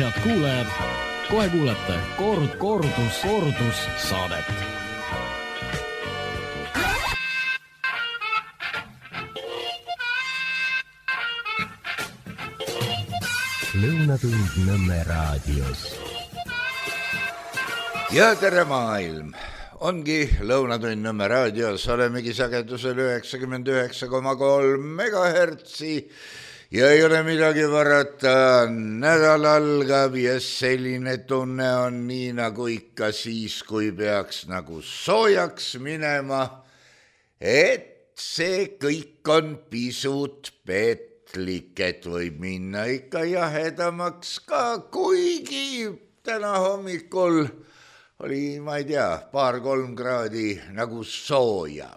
Head kuulajad, kohe kuulete kordus saadet. Lõunatund Nõmme raadios. Ja tere maailm! Ongi Lõunatund Nõmme raadios, olemegi sagedusel 99,3 megahertsi ja ei ole midagi varata, nädal algab ja selline tunne on nii nagu ikka siis, kui peaks nagu soojaks minema, et see kõik on pisut petlik, et võib minna ikka jahedamaks ka, kuigi täna hommikul oli, ma ei tea, 2-3 kraadi nagu sooja.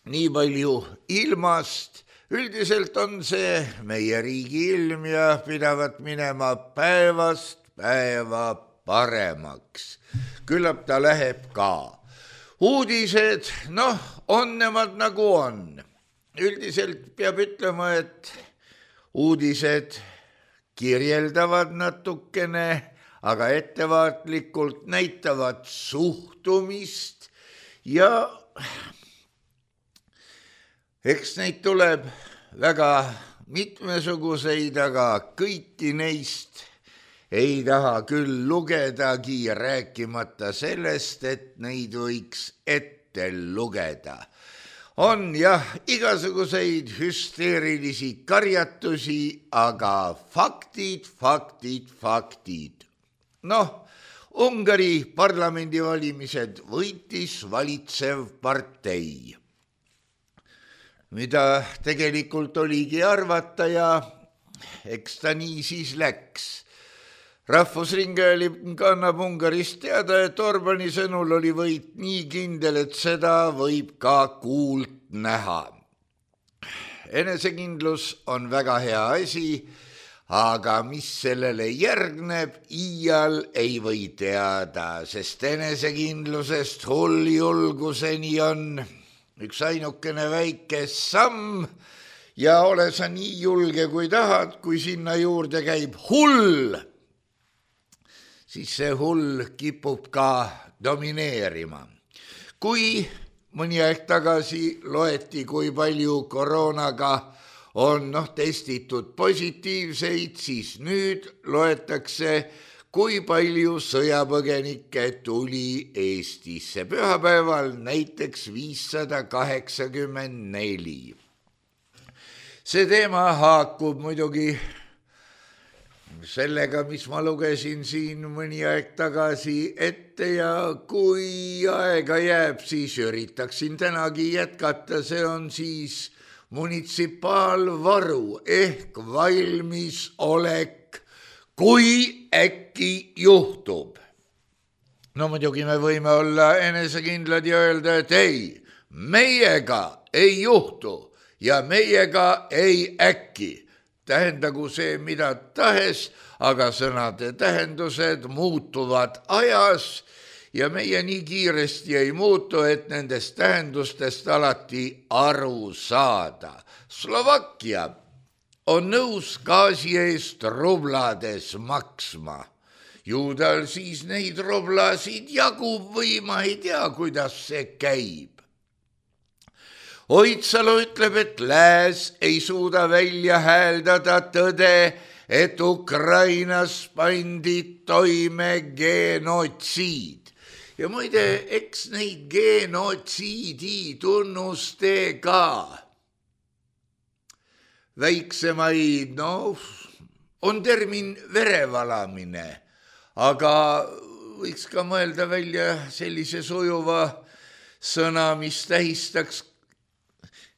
Nii palju ilmast. Üldiselt on see meie riigi ilm ja pidavat minema päevast päeva paremaks. Küllap ta läheb ka. Uudised, on nemad nagu on. Üldiselt peab ütlema, et uudised kirjeldavad natukene, aga ettevaatlikult näitavad suhtumist ja eks neid tuleb väga mitmesuguseid, aga kõiki neist ei taha küll lugedagi, rääkimata sellest, et neid võiks ette lugeda. On jah igasuguseid hüsteerilisi karjatusi, aga faktid. Ungari parlamendivalimised võitis valitsev partei, mida tegelikult oligi arvata ja eks ta nii siis läks. Rahvusringhääling annab Ungarist teada, et Orbani sõnul oli võit nii kindel, et seda võib ka kuult näha. Enesekindlus on väga hea asi, aga mis sellele järgneb, iial ei või teada, sest enesekindlusest hulljulguseni on üks ainukene väike samm ja ole sa nii julge, kui tahad, kui sinna juurde käib hull, siis see hull kipub ka domineerima. Kui mõni aeg tagasi loeti, kui palju koroonaga on testitud positiivseid, siis nüüd loetakse, kui palju sõjapõgenikke tuli Eestisse. Pühapäeval näiteks 584. See teema haakub muidugi sellega, mis ma lugesin siin mõni aeg tagasi ette ja kui aega jääb, siis üritaksin tänagi jätkata. See on siis munitsipaalvaru ehk valmisolek, kui äkki juhtub. Muidugi me võime olla enesekindlad ja öelda, et ei, meiega ei juhtu ja meiega ei äkki. Tähendagu see mida tahes, aga sõnade tähendused muutuvad ajas ja meie nii kiiresti ei muutu, et nendest tähendustest alati aru saada. Slovakkia on nõus gaasi eest rublades maksma. Ju tal siis neid rublasid jagub või ma ei tea, kuidas see käib. Oitsalu ütleb, et lääs ei suuda välja hääldada tõde, et Ukrainas pandi toime genotsiid. Ja muide, eks neid genotsiidi tunnustega väiksemaid, on termin verevalamine, aga võiks ka mõelda välja sellise sujuva sõna, mis tähistaks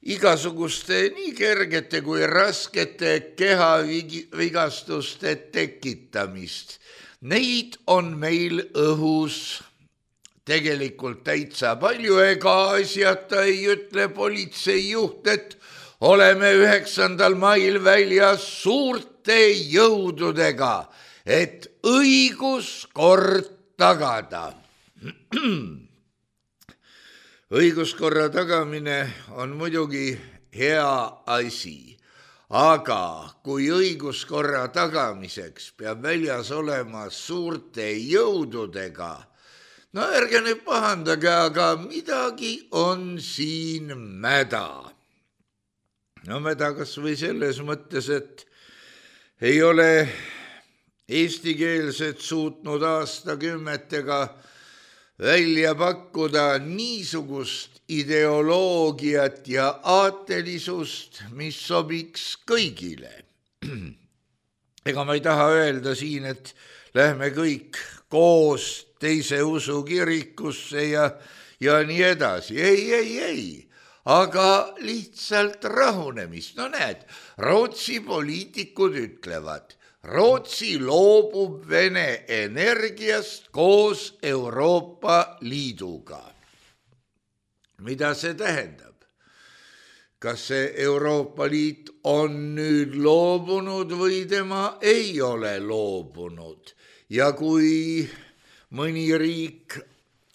igasuguste nii kergete kui raskete kehavigastuste tekitamist. Neid on meil õhus tegelikult täitsa palju, ega asjata ei ütle politseijuht, et oleme 9. mail väljas suurte jõududega, et õiguskord tagada. Õiguskorra tagamine on muidugi hea asi, aga kui õiguskorra tagamiseks peab väljas olema suurte jõududega, no ärge nüüd pahandage, aga midagi on siin mäda. No mäda kas või selles mõttes, et ei ole eestikeelset suutnud aastakümmetega välja pakkuda niisugust ideoloogiat ja aatelisust, mis sobiks kõigile. Ega ma ei taha öelda siin, et lähme kõik koos teise usu kirikusse ja nii edasi. Ei. Aga lihtsalt rahunemist. No näed, Rootsi poliitikud ütlevad, Rootsi loobub Vene energiast koos Euroopa Liiduga. Mida see tähendab? Kas see Euroopa Liit on nüüd loobunud või tema ei ole loobunud? Ja kui mõni riik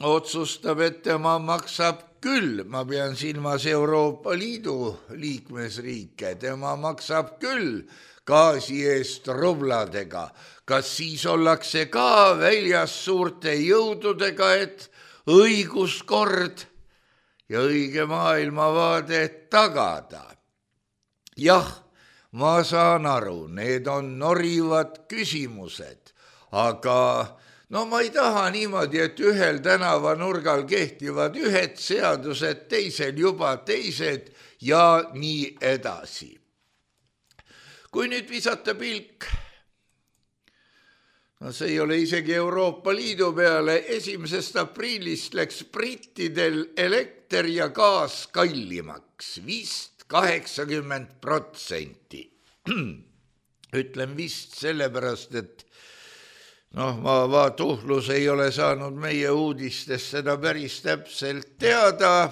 otsustab, et tema maksab küll, ma pean silmas Euroopa Liidu liikmesriike, tema maksab küll gaasi eest rubladega, kas siis ollakse ka väljas suurte jõududega, et õiguskord ja õige maailmavaade tagada? Jah, ma saan aru, need on norivad küsimused, aga no ma ei taha niimoodi, et ühel tänavanurgal kehtivad ühed seadused, teisel juba teised ja nii edasi. Kui nüüd visata pilk, no see ei ole isegi Euroopa Liidu peale, 1. aprillist läks brittidel elekter ja gaas kallimaks, vist 80%. Ütlen vist sellepärast, et ma Tuhlus ei ole saanud meie uudistest seda päris täpselt teada,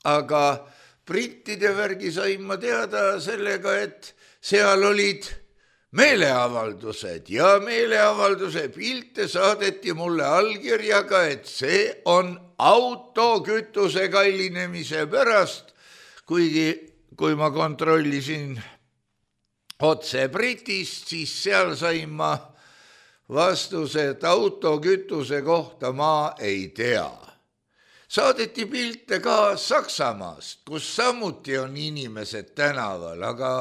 aga brittide värgi sain ma teada sellega, et seal olid meeleavaldused ja meeleavalduse pilte saadeti mulle allkirjaga, et see on autokütuse kallinemise pärast, kuigi kui ma kontrollisin otse Britist, siis seal sain ma vastuse, et autokütuse kohta ma ei tea. Saadeti pilte ka Saksamaast, kus samuti on inimesed tänaval, aga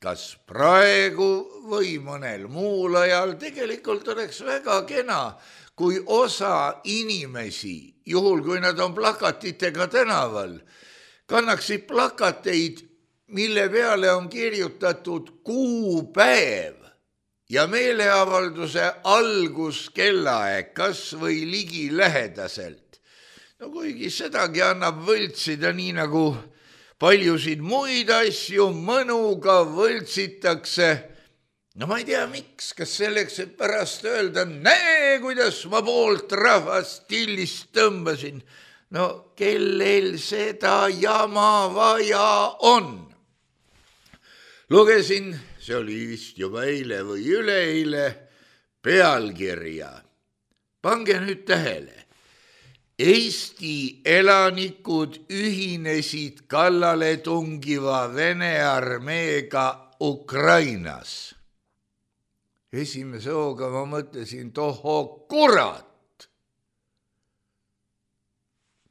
kas praegu või mõnel muul ajal tegelikult oleks väga kena, kui osa inimesi, juhul kui nad on plakatitega tänaval, kannaksid plakateid, mille peale on kirjutatud kuupäev ja meeleavalduse alguskellaaeg, kas või ligilähedaselt. No kuigi sedagi annab võltsida nii nagu paljusid muid asju mõnuga võltsitakse. No ma ei tea, miks, kas selleks, et pärast öelda, näe, kuidas ma poolt rahvast tillist tõmbasin. No kellel seda jama vaja on? Lugesin, see oli vist juba eile või üleeile, pealkirja. Pange nüüd tähele. Eesti elanikud ühinesid kallale tungiva Vene armeega Ukrainas. Esimese hooga ma mõtlesin, tohoo kurat!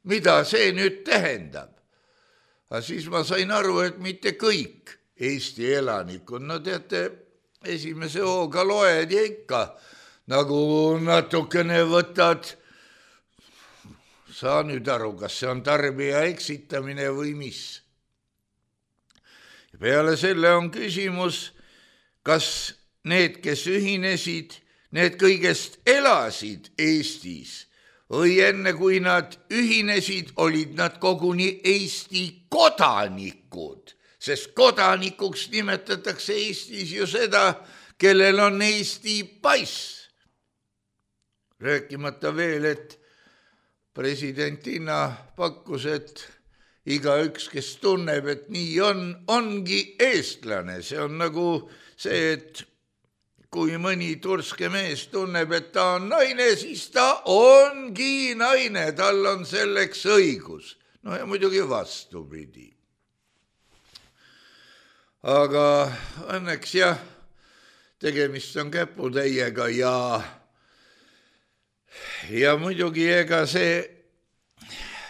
Mida see nüüd tähendab? Aga siis ma sain aru, et mitte kõik Eesti elanikud, no teate, esimese hooga loed ja ikka, nagu natukene võtad. Saa nüüd aru, kas see on tarbija eksitamine või mis. Peale selle on küsimus, kas need, kes ühinesid, need kõigest elasid Eestis või enne kui nad ühinesid, olid nad koguni Eesti kodanikud, sest kodanikuks nimetatakse Eestis ju seda, kellel on Eesti pass. Rääkimata veel, et presidentina pakkus, et igaüks, kes tunneb, et nii ongi eestlane. See on nagu see, et kui mõni turske mees tunneb, et ta on naine, siis ta ongi naine, tal on selleks õigus. No ja muidugi vastupidi. aga õnneks jah, tegemist on käputäiega ja muidugi ega see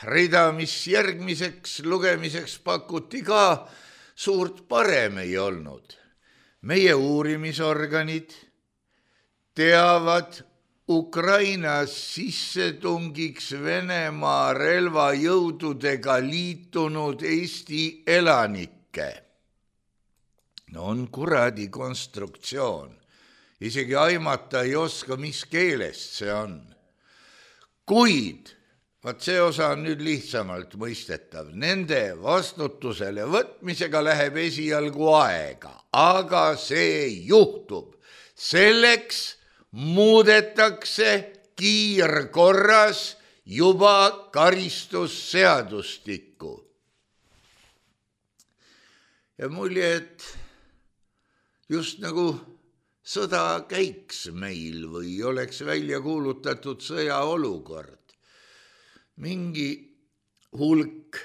rida, mis järgmiseks lugemiseks pakuti ka, suurt parem ei olnud. Meie uurimisorganid teavad Ukrainas sissetungiks Venemaa relvajõududega liitunud Eesti elanikke. No on kuradi konstruktsioon. Isegi aimata ei oska, mis keelest see on. Kuid, vaat see osa on nüüd lihtsamalt mõistetav. Nende vastutusele võtmisega läheb esialgu aega, aga see juhtub. Selleks muudetakse kiirkorras juba karistusseadustikku. Ja mulje, et just nagu sõda käiks meil või oleks välja kuulutatud sõjaolukord. Mingi hulk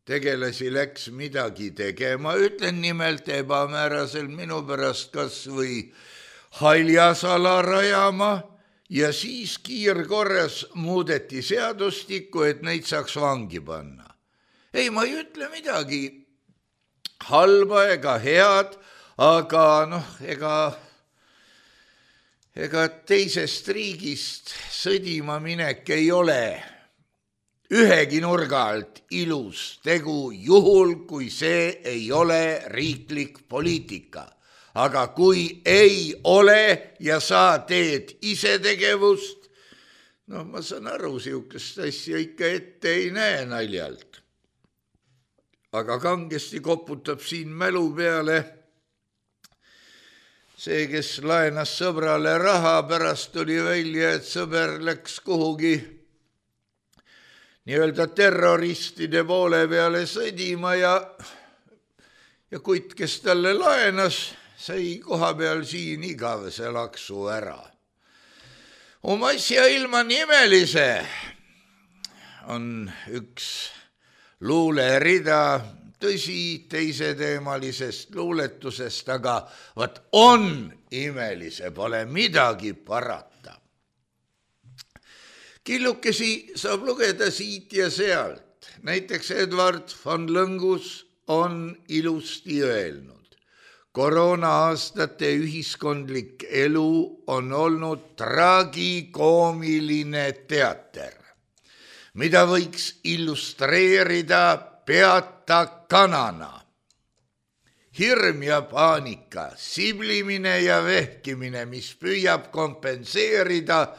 tegelasi läks midagi tegema, ütlen nimelt ebamäärasel minu pärast kas või haljasala rajama ja siis kiirkorras muudeti seadustikku, et neid saaks vangi panna. Ei, ma ei ütle midagi halba ega head, aga ega teisest riigist sõdima minek ei ole ühegi nurga alt ilus tegu, juhul kui see ei ole riiklik poliitika. Aga kui ei ole ja sa teed isetegevust, ma saan aru, siukest asja ikka ette ei näe naljalt. Aga kangesti koputab siin mälu peale see, kes laenas sõbrale raha, pärast tuli välja, et sõber läks kuhugi nii-öelda terroristide poole peale sõdima ja kuid, kes talle laenas, sai koha peal siin igavese laksu ära. Oma asja ilma nimelise on üks luulerida, tõsi, teiseteemalisest luuletusest, aga vaat on imelise, pole midagi parata. Killukesi saab lugeda siit ja sealt. Näiteks Edward von Lõngus on ilusti öelnud. Koroona-aastate ühiskondlik elu on olnud tragikoomiline teater, mida võiks illustreerida peata kanana. Hirm ja paanika, siblimine ja vehkimine, mis püüab kompenseerida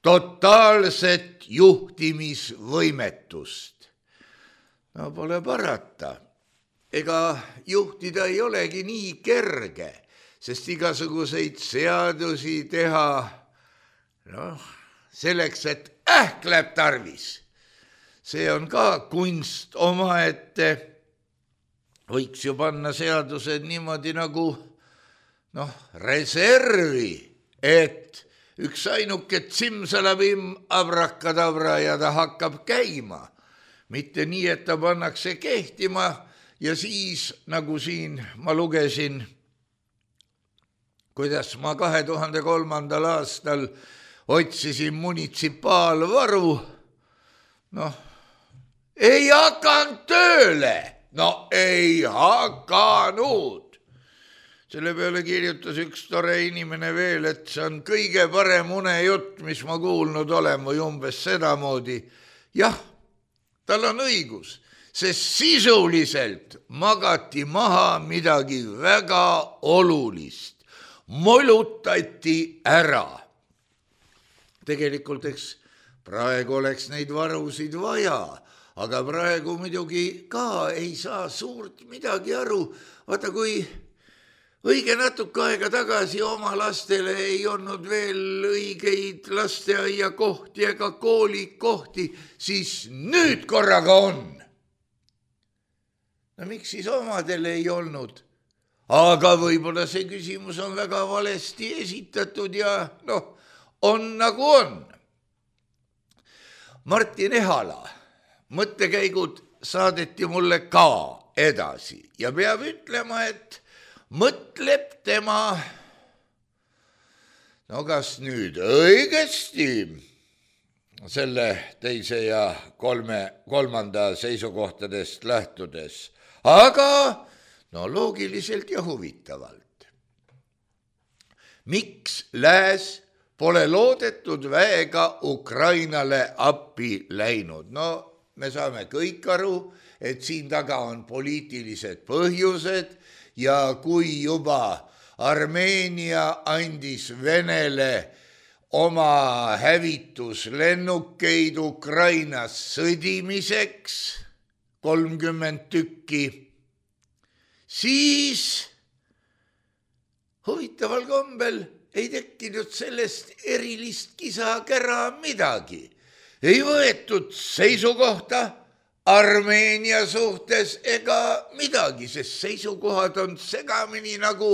totaalset juhtimisvõimetust. No pole parata. Ega juhtida ei olegi nii kerge, sest igasuguseid seadusi teha, selleks, et läheb tarvis. See on ka kunst omaette. Võiks ju panna seadused niimoodi nagu reservi, et üks ainuke tsimsalabim abrakadabra ja ta hakkab käima. Mitte nii, et ta pannakse kehtima ja siis, nagu siin ma lugesin, kuidas ma 2003. aastal otsisin munitsipaalvaru, ei hakanud tööle, ei hakanud. Selle peale kirjutas üks tore inimene veel, et see on kõige parem unejutt, mis ma kuulnud olen või umbes sedamoodi. Jah, tal on õigus, sest sisuliselt magati maha midagi väga olulist. Molutati ära. Tegelikult, eks praegu oleks neid varusid vaja, aga praegu muidugi ka ei saa suurt midagi aru. Vaata, kui õige natuke aega tagasi oma lastele ei olnud veel õigeid lasteaiakohti ega koolikohti, siis nüüd korraga on. Miks siis omadele ei olnud? Aga võib-olla see küsimus on väga valesti esitatud ja on nagu on. Martin Ehala mõttekäigud saadeti mulle ka edasi ja peab ütlema, et mõtleb tema, no kas nüüd õigesti selle teise ja kolmanda seisukohtadest lähtudes, aga no loogiliselt ja huvitavalt. Miks lääs pole loodetud väega Ukrainale appi läinud? No me saame kõik aru, et siin taga on poliitilised põhjused ja kui juba Armeenia andis Venele oma hävituslennukeid Ukrainas sõdimiseks 30 tükki, siis huvitaval kombel ei tekkinud sellest erilist kisa-kära midagi. Ei võetud seisukohta Armeenia suhtes ega midagi, sest seisukohad on segamini nagu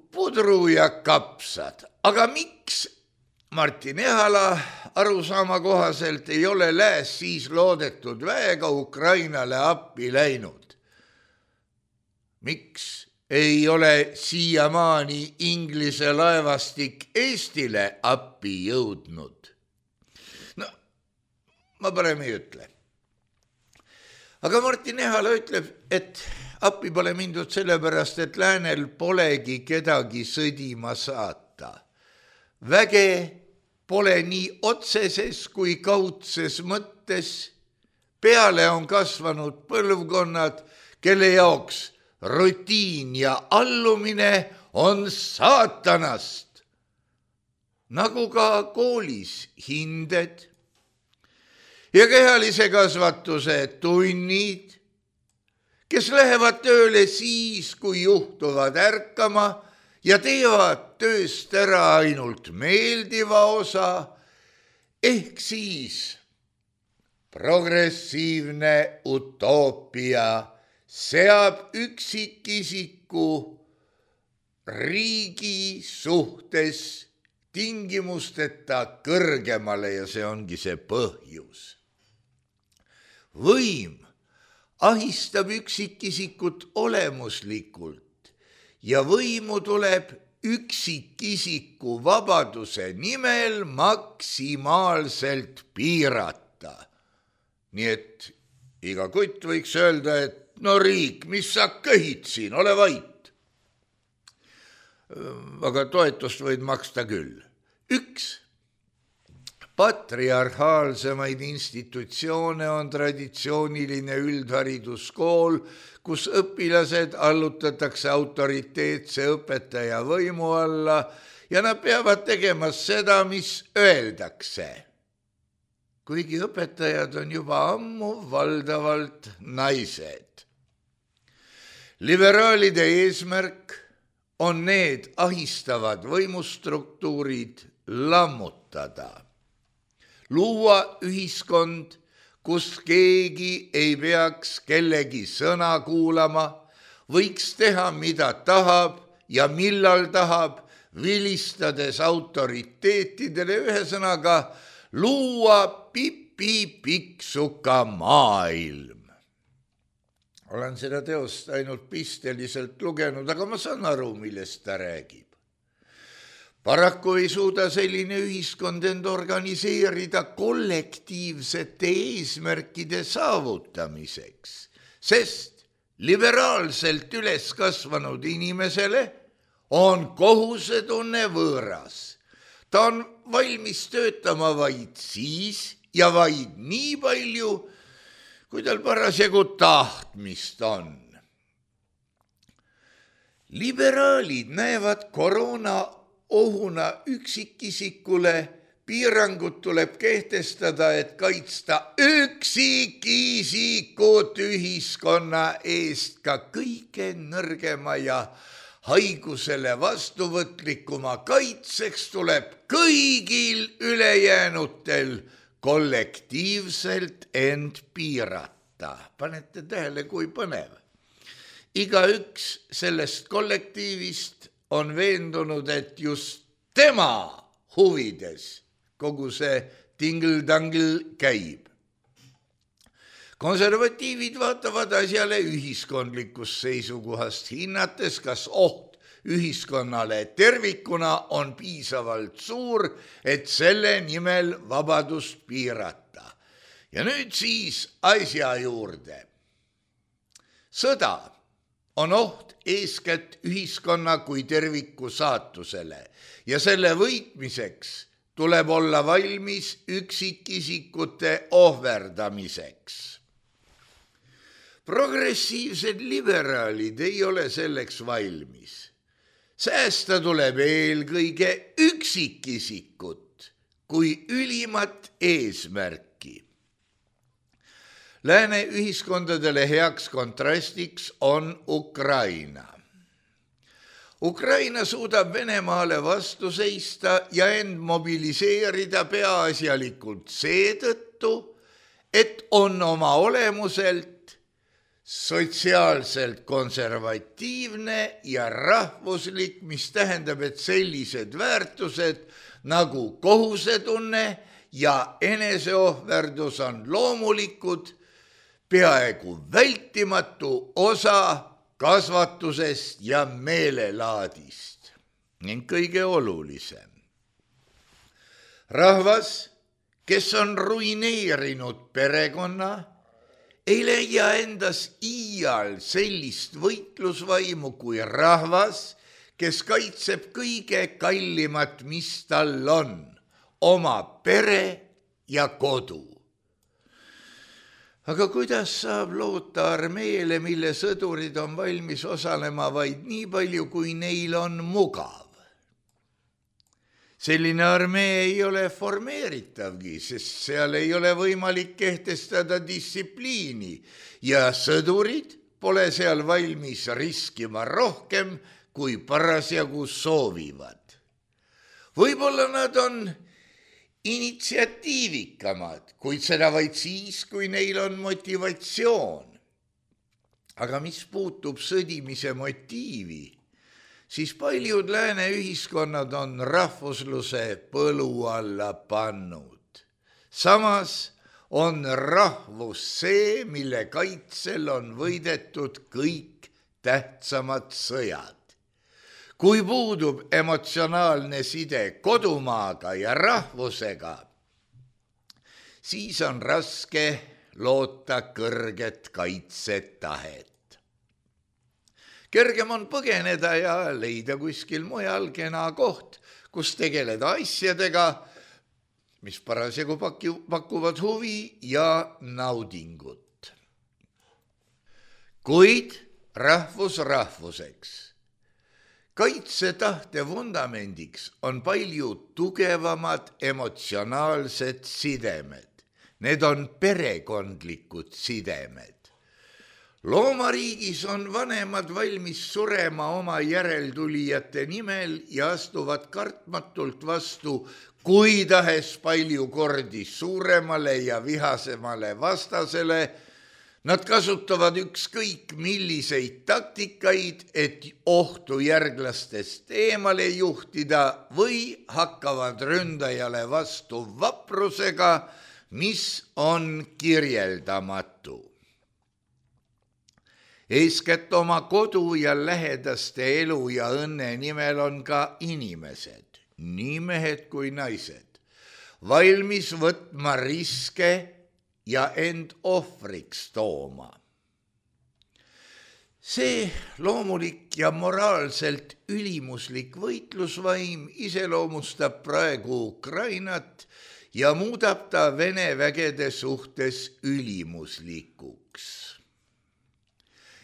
pudru ja kapsad. Aga miks Martin Ehala arusaama kohaselt ei ole lääs siis loodetud väega Ukrainale appi läinud? Miks ei ole siiamaani Inglise laevastik Eestile appi jõudnud? No, ma parem ei ütle. Aga Martin Ehala ütleb, et appi pole mindud sellepärast, et läänel polegi kedagi sõdima saata. Väge pole nii otseses kui kaudses mõttes. Peale on kasvanud põlvkonnad, kelle jaoks rutiin ja allumine on saatanast, nagu ka koolis hinded ja kehalise kasvatuse tunnid, kes lähevad tööle siis, kui juhtuvad ärkama ja teevad tööst ära ainult meeldiva osa, ehk siis progressiivne utoopia seab üksikisiku riigi suhtes tingimusteta kõrgemale ja see ongi see põhjus. Võim ahistab üksikisikut olemuslikult ja võimu tuleb üksikisiku vabaduse nimel maksimaalselt piirata. Nii et iga kutt võiks öelda, et no riik, mis sa köhid siin, ole vait. Aga toetust võid maksta küll. Üks patriarhaalsemaid institutsioone on traditsiooniline üldhariduskool, kus õpilased allutatakse autoriteetse õpetaja võimu alla ja nad peavad tegema seda, mis öeldakse. Kuigi õpetajad on juba ammu valdavalt naised. Liberaalide eesmärk on need ahistavad võimustruktuurid lammutada. Luua ühiskond, kus keegi ei peaks kellegi sõna kuulama, võiks teha, mida tahab ja millal tahab, vilistades autoriteetidele, ühesõnaga luua pipi-piksuka maailm. Olen seda teost ainult pisteliselt lugenud, aga ma saan aru, millest ta räägib. Paraku ei suuda selline ühiskond end organiseerida kollektiivsete eesmärkide saavutamiseks, sest liberaalselt üles kasvanud inimesele on kohusetunne võõras. Ta on valmis töötama vaid siis ja vaid nii palju, kui tal parasjagu tahtmist on. Liberaalid näevad koroona ohuna üksikisikule, piirangud tuleb kehtestada, et kaitsta üksikisikut ühiskonna eest ka kõige nõrgema ja haigusele vastuvõtlikuma kaitseks tuleb kõigil ülejäänutel kollektiivselt end piirata. Panete tähele, kui põnev. Igaüks sellest kollektiivist on veendunud, et just tema huvides kogu see tingl-tangl käib. Konservatiivid vaatavad asjale ühiskondlikust seisukohast, hinnates, kas oht ühiskonnale tervikuna on piisavalt suur, et selle nimel vabadust piirata. Ja nüüd siis asja juurde. Sõda on oht eeskätt ühiskonna kui terviku saatusele ja selle võitmiseks tuleb olla valmis üksikisikute ohverdamiseks. Progressiivsed liberaalid ei ole selleks valmis. Säästa tuleb eelkõige üksikisikut kui ülimat eesmärki. Lääne ühiskondadele heaks kontrastiks on Ukraina. Ukraina suudab Venemaale vastu seista ja end mobiliseerida peaasjalikult seetõttu, et on oma olemuselt sotsiaalselt konservatiivne ja rahvuslik, mis tähendab, et sellised väärtused nagu kohusetunne ja eneseohverdus on loomulikud, peaaegu vältimatu osa kasvatusest ja meelelaadist. Ning kõige olulisem. Rahvas, kes on ruineerinud perekonna, ei leia endas iial sellist võitlusvaimu kui rahvas, kes kaitseb kõige kallimat, mis tal on, oma pere ja kodu. Aga kuidas saab loota armeele, mille sõdurid on valmis osalema vaid nii palju, kui neil on mugav? Selline armee ei ole formeeritavgi, sest seal ei ole võimalik kehtestada distsipliini ja sõdurid pole seal valmis riskima rohkem, kui parasjagu soovivad. Võib-olla nad on initsiatiivikamad, kuid seda vaid siis, kui neil on motivatsioon. Aga mis puutub sõdimise motiivi, siis paljud lääne ühiskonnad on rahvusluse põlu alla pannud. Samas on rahvus see, mille kaitsel on võidetud kõik tähtsamad sõjad. Kui puudub emotsionaalne side kodumaaga ja rahvusega, siis on raske loota kõrget kaitsetahet. Kergem on põgeneda ja leida kuskil mujal kena koht, kus tegeleda asjadega, mis parasjagu pakuvad huvi ja naudingut. Kuid rahvus rahvuseks. Kaitsetahte vundamendiks on palju tugevamad emotsionaalsed sidemed. Need on perekondlikud sidemed. Loomariigis on vanemad valmis surema oma järeltulijate nimel ja astuvad kartmatult vastu kui tahes palju kordi suuremale ja vihasemale vastasele. Nad kasutavad ükskõik milliseid taktikaid, et ohtu järglastest eemale juhtida või hakkavad ründajale vastu vaprusega, mis on kirjeldamatu. Eeskätt oma kodu ja lähedaste elu ja õnne nimel on ka inimesed, nii mehed kui naised, valmis võtma riske ja end ohvriks tooma. See loomulik ja moraalselt ülimuslik võitlusvaim iseloomustab praegu Ukrainat ja muudab ta Vene vägede suhtes ülimuslikuks.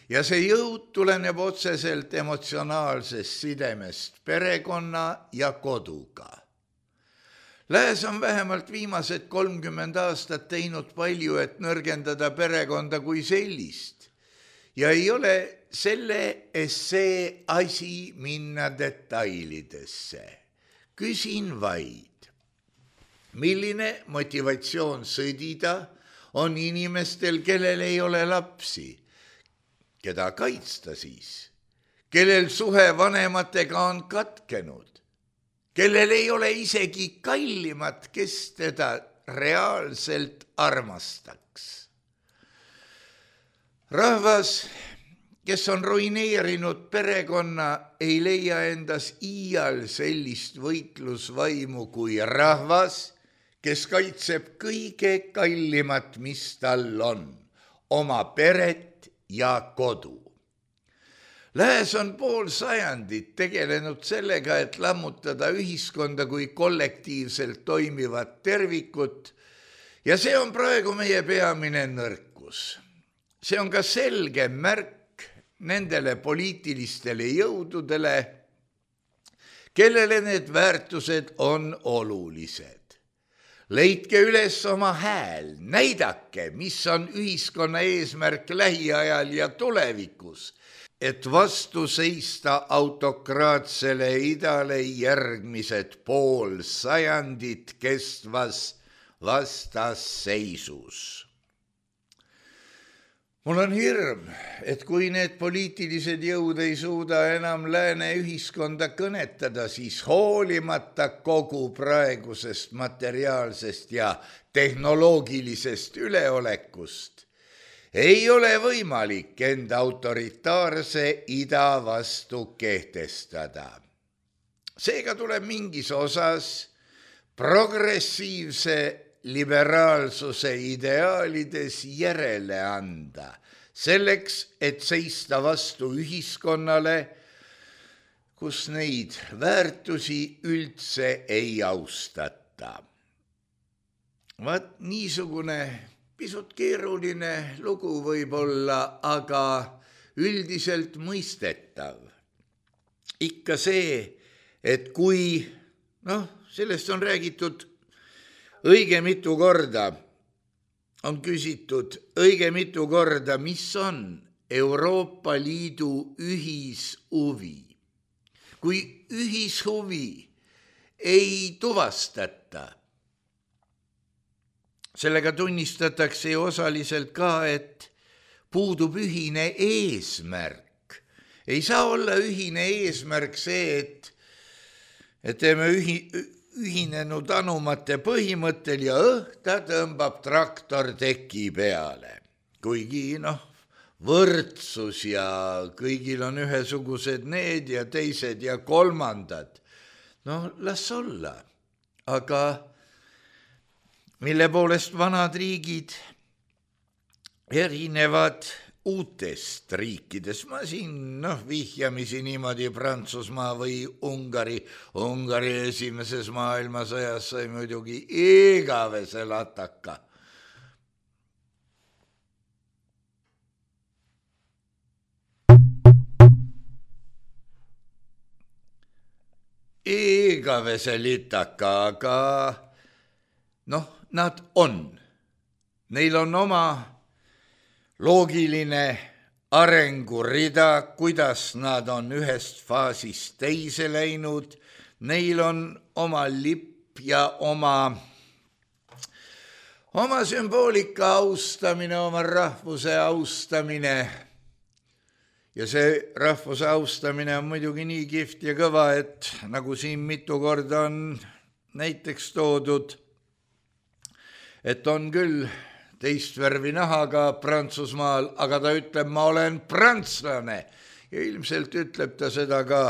Ja see jõud tuleneb otseselt emotsionaalsest sidemest perekonna ja koduga. Lääs on vähemalt viimased 30 aastat teinud palju, et nõrgendada perekonda kui sellist. Ja ei ole selle essee asi minna detailidesse. Küsin vaid, milline motivatsioon sõdida on inimestel, kellel ei ole lapsi, keda kaitsta siis, kellel suhe vanematega on katkenud, kellel ei ole isegi kallimat, kes teda reaalselt armastaks. rahvas, kes on ruineerinud perekonna, ei leia endas iial sellist võitlusvaimu kui rahvas, kes kaitseb kõige kallimat, mis tal on, oma peret ja kodu. Lääs on pool sajandit tegelenud sellega, et lammutada ühiskonda kui kollektiivselt toimivat tervikut ja see on praegu meie peamine nõrkus. See on ka selge märk nendele poliitilistele jõududele, kellele need väärtused on olulised. Leidke üles oma hääl, näidake, mis on ühiskonna eesmärk lähiajal ja tulevikus, et vastu seista autokraatsele idale järgmised pool sajandit kestvas vastasseisus. Mul on hirm, et kui need poliitilised jõud ei suuda enam lääne ühiskonda kõnetada, siis hoolimata kogu praegusest materiaalsest ja tehnoloogilisest üleolekust ei ole võimalik enda autoritaarse ida vastu kehtestada. Seega tuleb mingis osas progressiivse liberaalsuse ideaalides järele anda, selleks, et seista vastu ühiskonnale, kus neid väärtusi üldse ei austata. Vaat niisugune pisut keeruline lugu võib olla, aga üldiselt mõistetav. Ikka see, et kui, sellest on räägitud õige mitu korda, on küsitud õige mitu korda, mis on Euroopa Liidu ühishuvi. Kui ühishuvi ei tuvastata, sellega tunnistatakse ju osaliselt ka, et puudub ühine eesmärk. Ei saa olla ühine eesmärk see, et teeme ühinenud anumate põhimõttel ja ta tõmbab traktor teki peale. Kuigi võrdsus ja kõigil on ühesugused need ja teised ja kolmandad. Las olla, aga mille poolest vanad riigid erinevad uutest riikidest. Ma siin vihjamisi niimoodi Prantsusmaa või Ungari. Ungari esimeses maailmasõjas sai muidugi igavese lataka. Igavese litaka, aga nad on. Neil on oma loogiline arengurida, kuidas nad on ühest faasist teise läinud. Neil on oma lipp ja oma sümboolika austamine, oma rahvuse austamine. Ja see rahvuse austamine on muidugi nii kihvt ja kõva, et nagu siin mitu korda on näiteks toodud, et on küll teist värvi nahaga Prantsusmaal, aga ta ütleb, ma olen prantslane. Ja ilmselt ütleb ta seda ka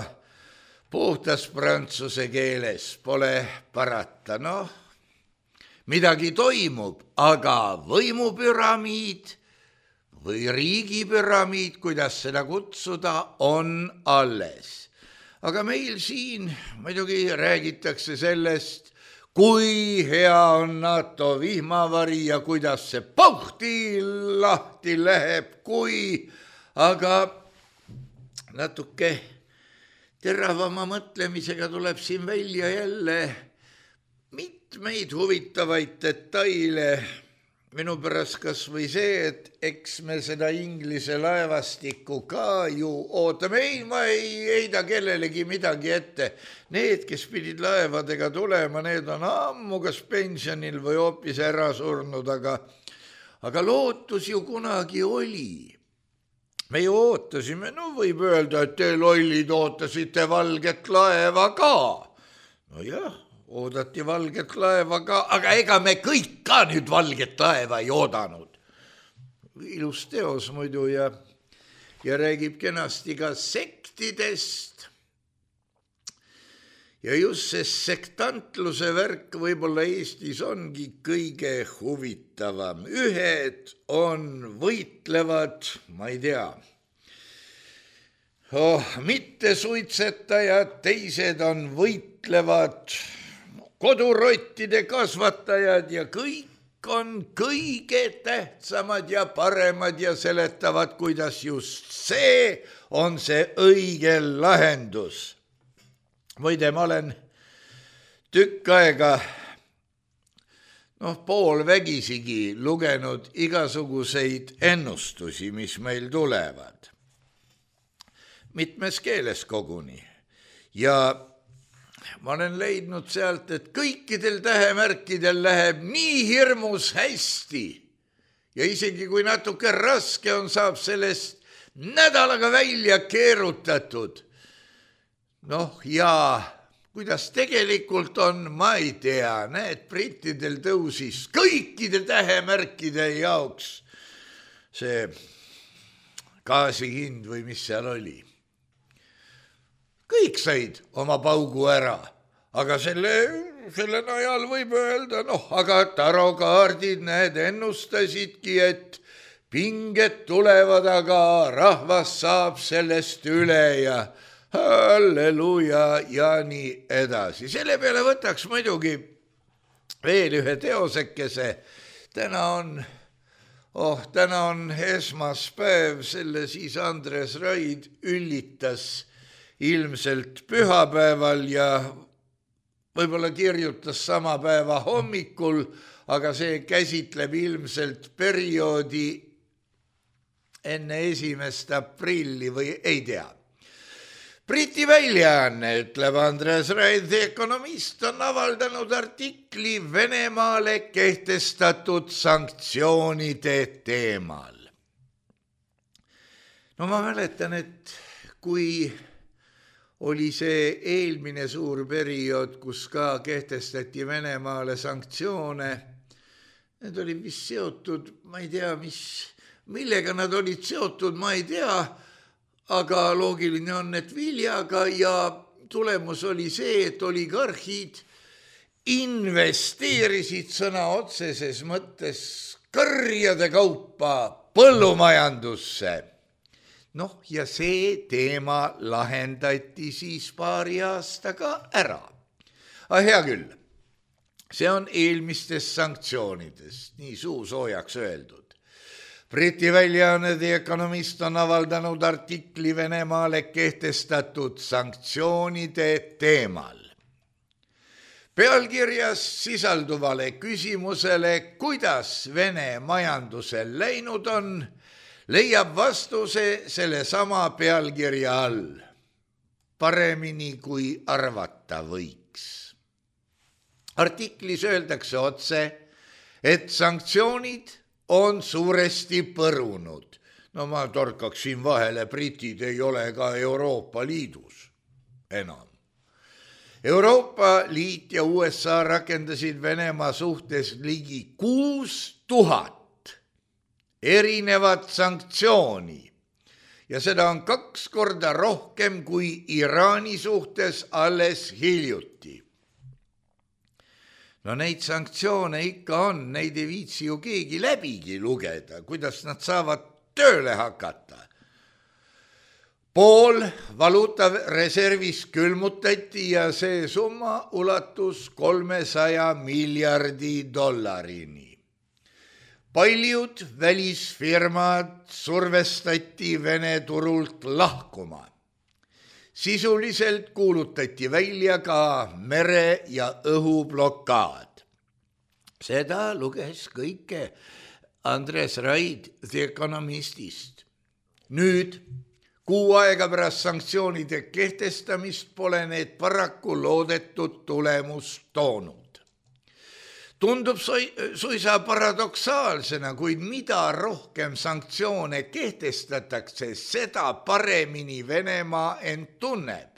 puhtas prantsuse keeles, pole parata. Midagi toimub, aga võimupüramiid või riigipüramiid, kuidas seda kutsuda, on alles. Aga meil siin muidugi räägitakse sellest, kui hea on NATO vihmavari ja kuidas see pauhti lahti läheb, aga natuke teravama mõtlemisega tuleb siin välja jälle mitmeid huvitavaid detaile. Minu pärast kas või see, et eks me seda Inglise laevastikku ka ju ootame. Ei, ma ei heida kellelegi midagi ette. Need, kes pidid laevadega tulema, need on ammu kas pensionil või hoopis ära surnud, aga lootus ju kunagi oli. Me ju ootasime, võib öelda, et te lollid ootasite valget laeva ka. Jah. Oodati valget laeva ka, aga ega me kõik ka nüüd valget laeva ei oodanud. ilus teos muidu ja räägib kenasti ka sektidest. Ja just see sektantluse värk võib-olla Eestis ongi kõige huvitavam. Ühed on võitlevad, ma ei tea, mitte suitsetajad, teised on võitlevad kodurottide kasvatajad ja kõik on kõige tähtsamad ja paremad ja seletavad, kuidas just see on see õige lahendus. Muide, ma olen tükk aega poolvägisigi lugenud igasuguseid ennustusi, mis meil tulevad. Mitmes keeles koguni. Ja ma olen leidnud sealt, et kõikidel tähemärkidel läheb nii hirmus hästi. Ja isegi kui natuke raske on, saab sellest nädalaga välja keerutatud. Ja kuidas tegelikult on, ma ei tea. Näed, brittidel tõusis kõikide tähemärkide jaoks see gaasihind või mis seal oli. Kõik said oma paugu ära, aga selle najal võib öelda, aga tarokaardid ennustasidki, et pinged tulevad, aga rahvas saab sellest üle ja halleluja ja nii edasi. Selle peale võtaks muidugi veel ühe teosekese. Täna on esmaspäev, selle siis Andres Raid üllitas ilmselt pühapäeval ja võib-olla kirjutas sama päeva hommikul, aga see käsitleb ilmselt perioodi enne 1. aprilli või ei tea. Briti väljaanne, ütleb Andres Raid, The Economist, on avaldanud artikli Venemaale kehtestatud sanktsioonide teemal. Ma mäletan, et kui oli see eelmine suur periood, kus ka kehtestati Venemaale sanktsioone. Need olid vist seotud, ma ei tea, millega nad olid seotud, ma ei tea, aga loogiline on, et viljaga ja tulemus oli see, et oligarhid investeerisid sõna otseses mõttes kõrjade kaupa põllumajandusse. Ja see teema lahendati siis paari aastaga ära. Hea küll, see on eelmistest sanktsioonidest, nii suusoojaks öeldud. Briti väljaanne The Economist on avaldanud artikli Venemaale kehtestatud sanktsioonide teemal. Pealkirjas sisalduvale küsimusele, kuidas Vene majandusel läinud on, leiab vastuse selle sama pealkirja all. Paremini kui arvata võiks. Artiklis öeldakse otse, et sanktsioonid on suuresti põrunud. Ma torkaksin vahele, britid ei ole ka Euroopa Liidus enam. Euroopa Liit ja USA rakendasid Venemaa suhtes ligi 6000 erinevat sanktsiooni ja seda on 2 korda rohkem kui Iraani suhtes alles hiljuti. Neid sanktsioone ikka on, neid ei viitsi ju keegi läbigi lugeda, kuidas nad saavad tööle hakata. Pool valuutareservis külmutati ja see summa ulatus 300 miljardi dollarini. Paljud välisfirmad survestati Vene turult lahkuma. Sisuliselt kuulutati välja ka mere- ja õhublokaad. Seda luges kõike Andres Raid The Economistist. Nüüd, 6 aega pärast sanktsioonide kehtestamist pole need paraku loodetud tulemust toonud. Tundub suisa paradoksaalsena, kuid mida rohkem sanktsioone kehtestatakse, seda paremini Venemaa end tunneb.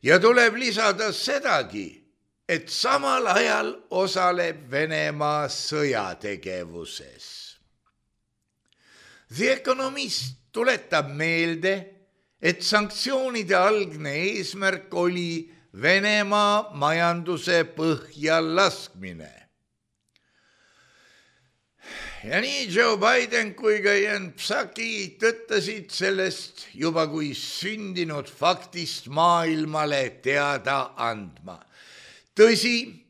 Ja tuleb lisada sedagi, et samal ajal osaleb Venemaa sõjategevuses. The Economist tuletab meelde, et sanktsioonide algne eesmärk oli Venemaa majanduse põhja laskmine. Ja nii Joe Biden kui ka Jen Psaki tõttasid sellest juba kui sündinud faktist maailmale teada andma. Tõsi,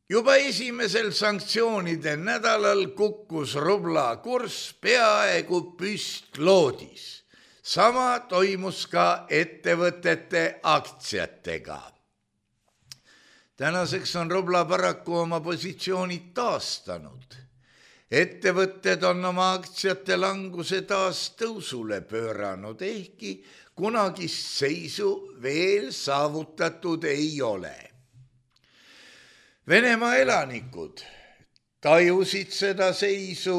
juba esimesel sanktsioonide nädalal kukkus rubla kurss peaaegu püstloodis. Sama toimus ka ettevõtete aktsiatega. Tänaseks on rubla paraku oma positsioonid taastanud. Ettevõtted on oma aktsiate languse taas tõusule pööranud, ehkki kunagist seisu veel saavutatud ei ole. Venemaa elanikud tajusid seda seisu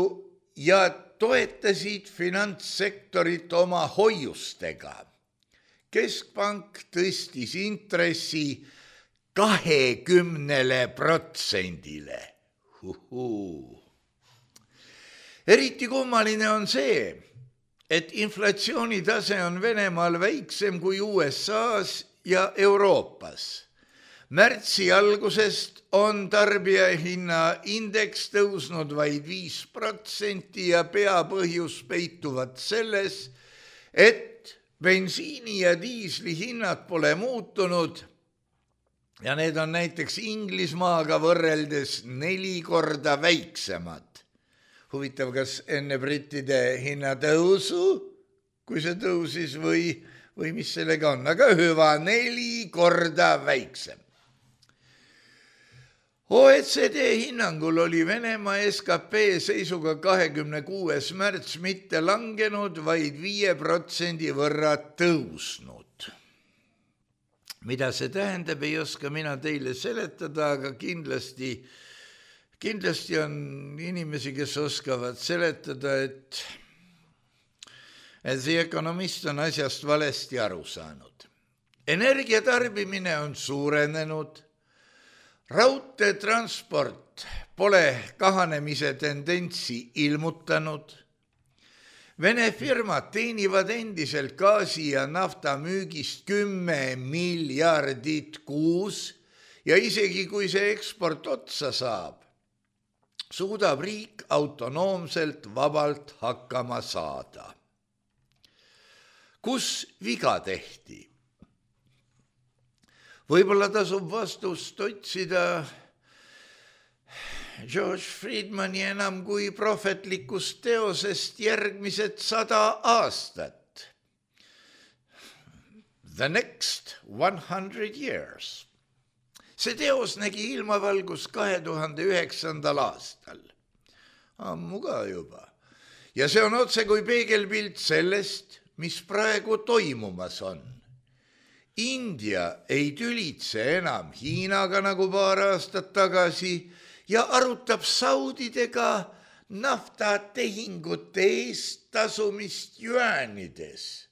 ja toetasid finantssektorit oma hoiustega. Keskpank tõstis intressi 20%-le. Eriti kummaline on see, et inflatsioonitase on Venemaal väiksem kui USAs ja Euroopas. Märtsi algusest on tarbijahinna indeks tõusnud vaid 5% ja peapõhjus peituvad selles, et bensiini ja diisli hinnad pole muutunud ja need on näiteks Inglismaaga võrreldes 4 korda väiksemad. Huvitav, kas enne brittide hinnatõusu, kui see tõusis või mis sellega on, aga hüva 4 korda väiksem. OECD hinnangul oli Venemaa SKP seisuga 26. märts mitte langenud, vaid 5% võrra tõusnud. Mida see tähendab, ei oska mina teile seletada, aga kindlasti on inimesi, kes oskavad seletada, et The Economist on asjast valesti aru saanud. Energiatarbimine on suurenenud, raudteetransport pole kahanemise tendentsi ilmutanud, Vene firmad teenivad endiselt gaasi ja nafta müügist 10 miljardit kuus ja isegi kui see eksport otsa saab, suudab riik autonoomselt vabalt hakkama saada. Kus viga tehti? Võib-olla tasub vastust otsida George Friedmani enam kui prohvetlikust teosest järgmised 100 aastat. The next 100 years. See teos nägi ilmavalgust 2009. aastal. Ammu ka juba. Ja see on otse kui peegelpilt sellest, mis praegu toimumas on. India ei tülitse enam Hiinaga nagu paar aastat tagasi ja arutab saudidega naftatehingute eest tasumist juaanides.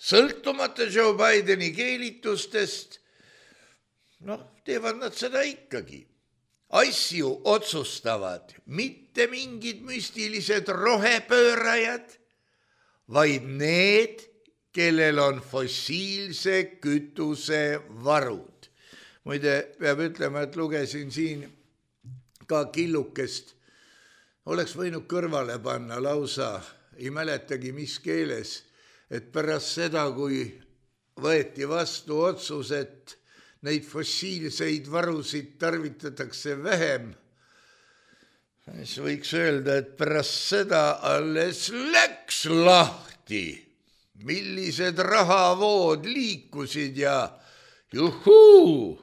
Sõltumata Joe Bideni keelitustest, teevad nad seda ikkagi. Asju otsustavad mitte mingid müstilised rohepöörajad, vaid need, kellel on fossiilse kütuse varud. Muide, peab ütlema, et lugesin siin ka killukest, oleks võinud kõrvale panna lausa, ei mäletagi mis keeles, et pärast seda, kui võeti vastu otsus, et neid fossiilseid varusid tarvitatakse vähem, siis võiks öelda, et pärast seda alles läks lahti, millised rahavood liikusid ja juhuu!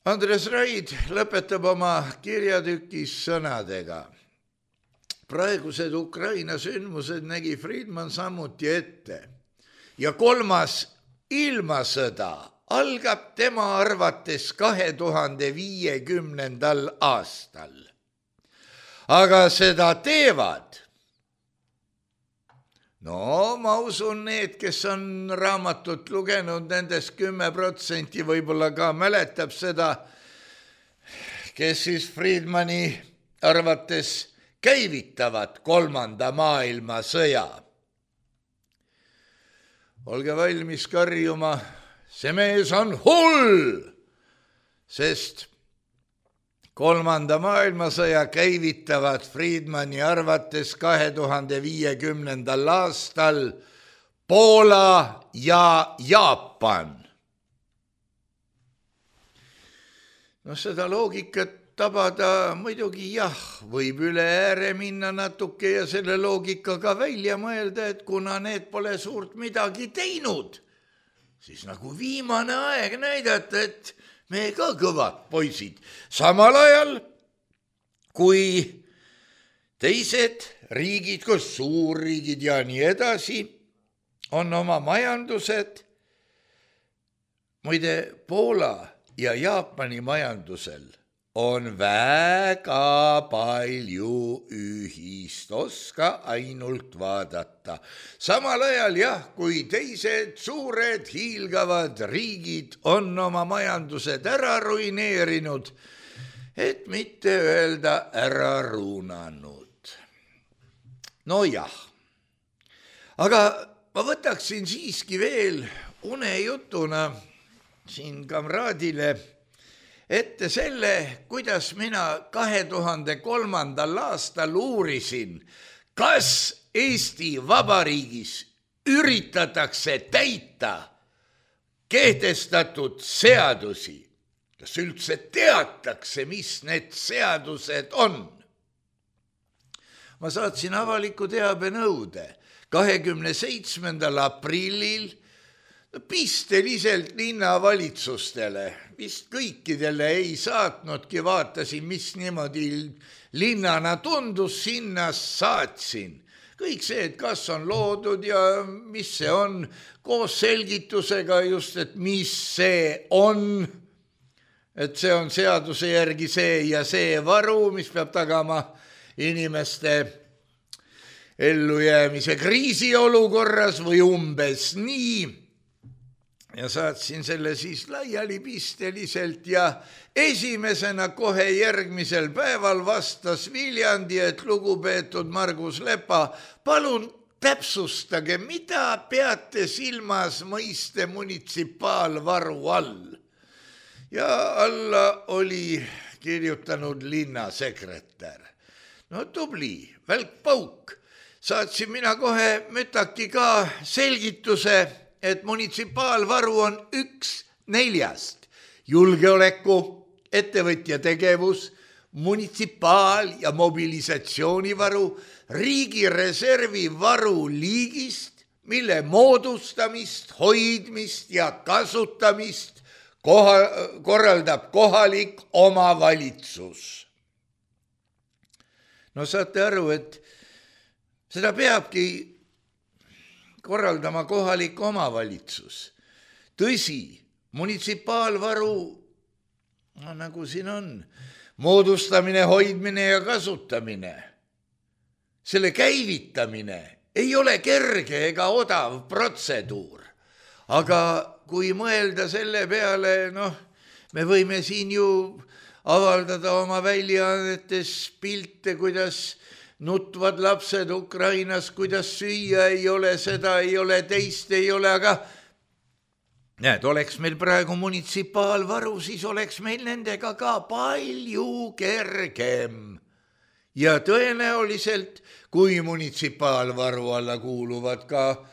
Andres Raid lõpetab oma kirjatükis sõnadega. Praegused Ukraina sündmused nägi Friedman samuti ette ja 3. ilmasõda algab tema arvates 2050. aastal. Aga seda teevad. Ma usun need, kes on raamatut lugenud, nendest 10% võib-olla ka mäletab seda, kes siis Friedmani arvates käivitavad 3. maailmasõja. Olge valmis karjuma, see mees on hull, sest 3. maailmasõja käivitavad Friedmani arvates 2050. aastal Poola ja Jaapan. No seda loogikat tabada muidugi jah, võib üle ääre minna natuke ja selle loogikaga välja mõelda, et kuna need pole suurt midagi teinud, siis nagu viimane aeg näidata, et me ka kõvad poisid. Samal ajal, kui teised riigid, kus suurriigid ja nii edasi, on oma majandused, muide Poola ja Jaapani majandusel on väga palju ühist, oska ainult vaadata. Samal ajal jah, kui teised suured hiilgavad riigid on oma majandused ära ruineerinud, et mitte öelda ära ruunanud. No jah, aga ma võtaksin siiski veel unejutuna siin kamraadile ette selle, kuidas mina 2003. aastal uurisin, kas Eesti Vabariigis üritatakse täita kehtestatud seadusi, kas üldse teatakse, mis need seadused on. Ma saatsin avaliku teabenõude 27. aprillil pisteliselt linnavalitsustele, vist kõikidele ei saatnudki, vaatasin, mis niimoodi linnana tundus, sinna saatsin. Kõik see, et kas on loodud ja mis see on, koos selgitusega just, et mis see on, et see on seaduse järgi see ja see varu, mis peab tagama inimeste ellujäämise kriisiolukorras või umbes nii. Ja saatsin selle siis laiali pisteliselt ja esimesena kohe järgmisel päeval vastas Viljandi, et lugupeetud Margus Lepa, palun täpsustage, mida peate silmas mõiste munitsipaalvaru all. Ja alla oli kirjutanud linnasekretär. No tubli, välkpauk. Saatsin mina kohe mütaki ka selgituse, et munitsipaalvaru on 1/4 julgeoleku, ettevõtja tegevus, munitsipaal- ja mobilisatsioonivaru, riigireservi varu liigist, mille moodustamist, hoidmist ja kasutamist korraldab kohalik omavalitsus. No saate aru, et seda peabki korraldama kohalik omavalitsus. Tõsi, munitsipaalvaru, no nagu siin on, moodustamine, hoidmine ja kasutamine, selle käivitamine ei ole kerge ega odav protseduur. Aga kui mõelda selle peale, me võime siin ju avaldada oma väljaannetes pilte, kuidas nutvad lapsed Ukrainas, kuidas süüa ei ole, seda ei ole, teist ei ole, aga näed, oleks meil praegu munitsipaalvaru, siis oleks meil nendega ka palju kergem. Ja tõenäoliselt, kui munitsipaalvaru alla kuuluvad ka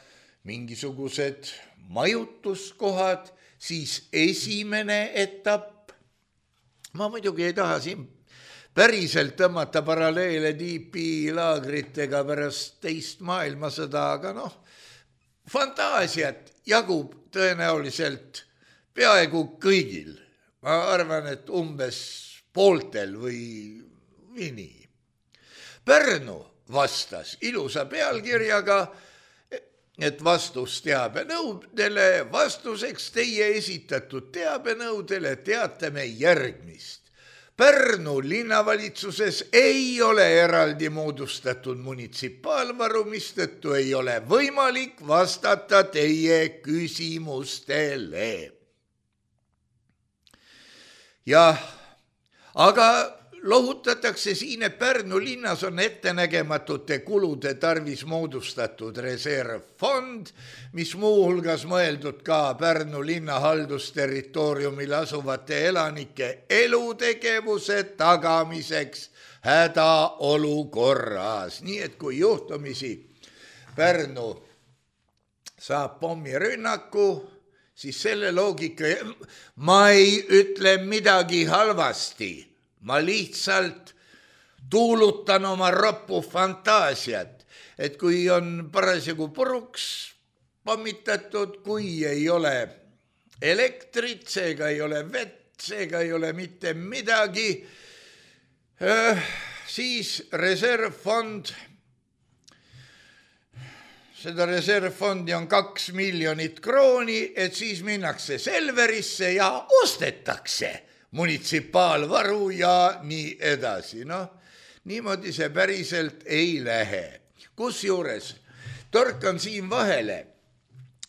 mingisugused majutuskohad, siis esimene etapp, ma muidugi ei taha siin päriselt tõmmata paralleele DP laagritega pärast teist maailmasõda, aga fantaasiat jagub tõenäoliselt peaaegu kõigil. Ma arvan, et umbes pooltel või nii. Pärnu vastas ilusa pealkirjaga, et vastus teabenõudele, vastuseks teie esitatud teabenõudele teatame järgmist. Pärnu linnavalitsuses ei ole eraldi moodustatud munitsipaalvaru, mistõttu ei ole võimalik vastata teie küsimustele. Jah, aga lohutatakse siin, et Pärnu linnas on ettenägematute kulude tarvis moodustatud reservfond, mis muuhulgas mõeldud ka Pärnu linna haldusterritooriumil asuvate elanike elutegevuse tagamiseks hädaolukorras. Nii et kui juhtumisi Pärnu saab pommirünnaku, siis selle loogika, ma ei ütle midagi halvasti, ma lihtsalt tuulutan oma roppu fantaasiat, et kui on parasjagu puruks pommitatud, kui ei ole elektrit, seega ei ole vett, seega ei ole mitte midagi, siis reservfond, seda reservfondi on 2 miljonit krooni, et siis minnakse Selverisse ja ostetakse munitsipaalvaru ja nii edasi. No, niimoodi see päriselt ei lähe. Kusjuures torkan siin vahele,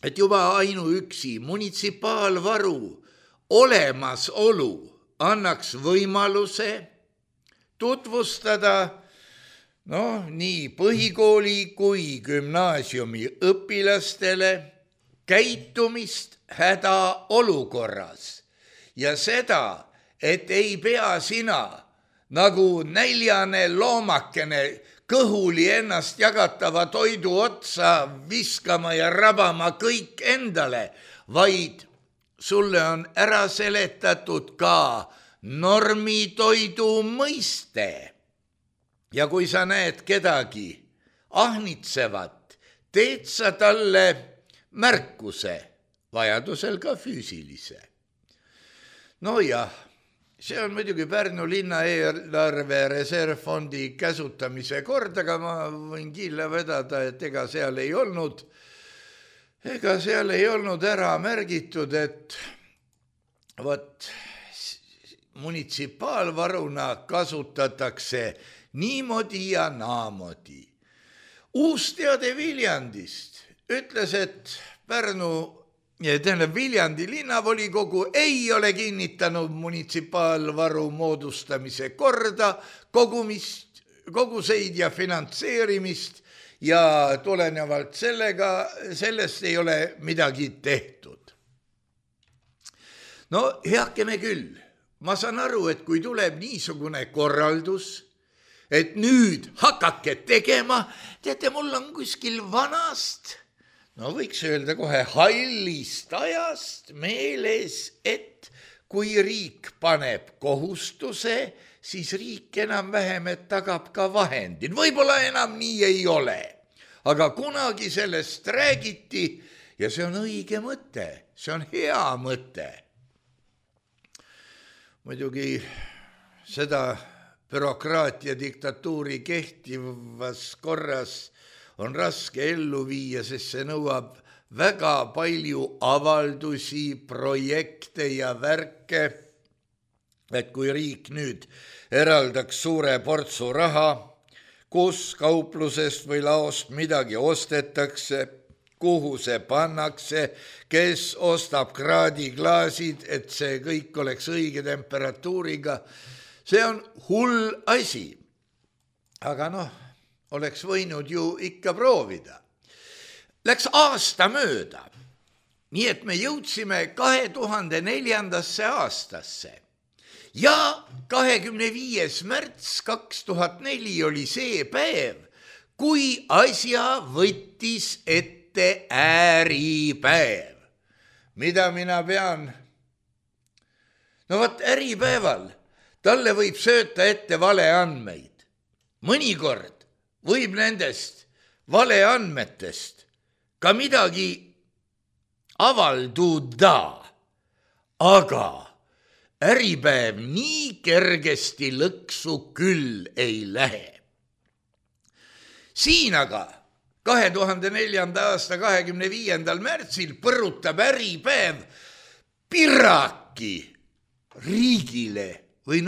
et juba ainuüksi munitsipaalvaru olemasolu annaks võimaluse tutvustada nii põhikooli kui gümnaasiumi õpilastele käitumist hädaolukorras ja seda, et ei pea sina nagu näljane loomakene kõhuli ennast jagatava toidu otsa viskama ja rabama kõik endale, vaid sulle on ära seletatud ka normitoidu mõiste. Ja kui sa näed kedagi ahnitsevat, teed sa talle märkuse, vajadusel ka füüsilise. No jah, see on muidugi Pärnu linna eelarve reservfondi käsutamise kord, aga ma võin killa vedada, et ega seal ei olnud ära märgitud, et munitsipaalvaruna kasutatakse niimoodi ja naamodi. Uus teade Viljandist ütles, et Viljandi linnavolikogu ei ole kinnitanud munitsipaalvaru moodustamise korda, koguseid ja finantseerimist ja tulenevalt sellest ei ole midagi tehtud. No heakene küll, ma saan aru, et kui tuleb niisugune korraldus, et nüüd hakake tegema, teate, mul on kuskil vanast, võiks öelda kohe hallist ajast meeles, et kui riik paneb kohustuse, siis riik enam-vähem, et tagab ka vahendid. Võib-olla enam nii ei ole, aga kunagi sellest räägiti ja see on õige mõte, see on hea mõte. Muidugi seda bürokraatia diktatuuri kehtivas korras on raske ellu viia, sest see nõuab väga palju avaldusi, projekte ja värke, et kui riik nüüd eraldaks suure portsu raha, kus kauplusest või laost midagi ostetakse, kuhu see pannakse, kes ostab kraadiklaasid, et see kõik oleks õige temperatuuriga. See on hull asi, aga oleks võinud ju ikka proovida. Läks aasta mööda, nii et me jõudsime 2004. aastasse ja 25. märts 2004 oli see päev, kui asja võttis ette äripäev. Mida mina pean? Äripäeval talle võib sööta ette valeandmeid. Mõnikord võib nendest valeandmetest ka midagi avalduda, aga äripäev nii kergesti lõksu küll ei lähe. Siin aga 2004. aasta 25. märtsil põrutab äripäev piraki riigile või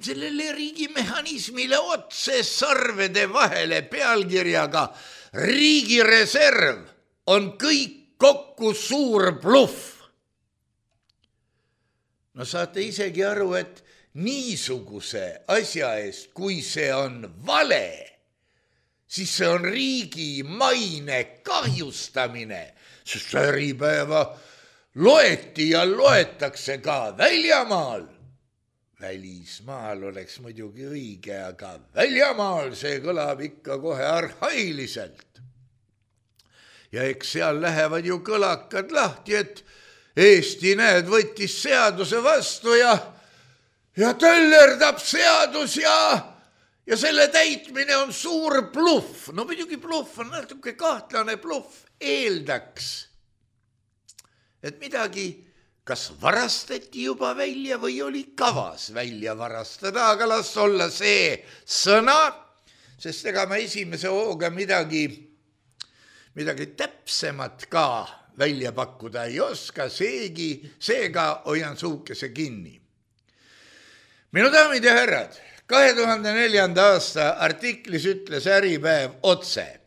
sellele riigimehhanismile otse sarvede vahele pealkirjaga Riigireserv on kõik kokku suur bluff. Saate isegi aru, et niisuguse asja eest, kui see on vale, siis see on riigi maine kahjustamine, sest Äripäeva loeti ja loetakse ka väljamaal. Välismaal oleks muidugi õige, aga väljamaal see kõlab ikka kohe arhailiselt. Ja eks seal lähevad ju kõlakad lahti, et Eesti, näed, võttis seaduse vastu ja töllerdab seadus ja selle täitmine on suur bluff. No muidugi bluff on natuke kahtlane bluff. Eeldaks, et midagi kas varastati juba välja või oli kavas välja varastada, aga las olla see sõna, sest ega ma esimese hooga midagi täpsemat ka välja pakkuda ei oska, seega hoian suukese kinni. Minu daamid ja härrad, 2004. aasta artiklis ütles Äripäev otse: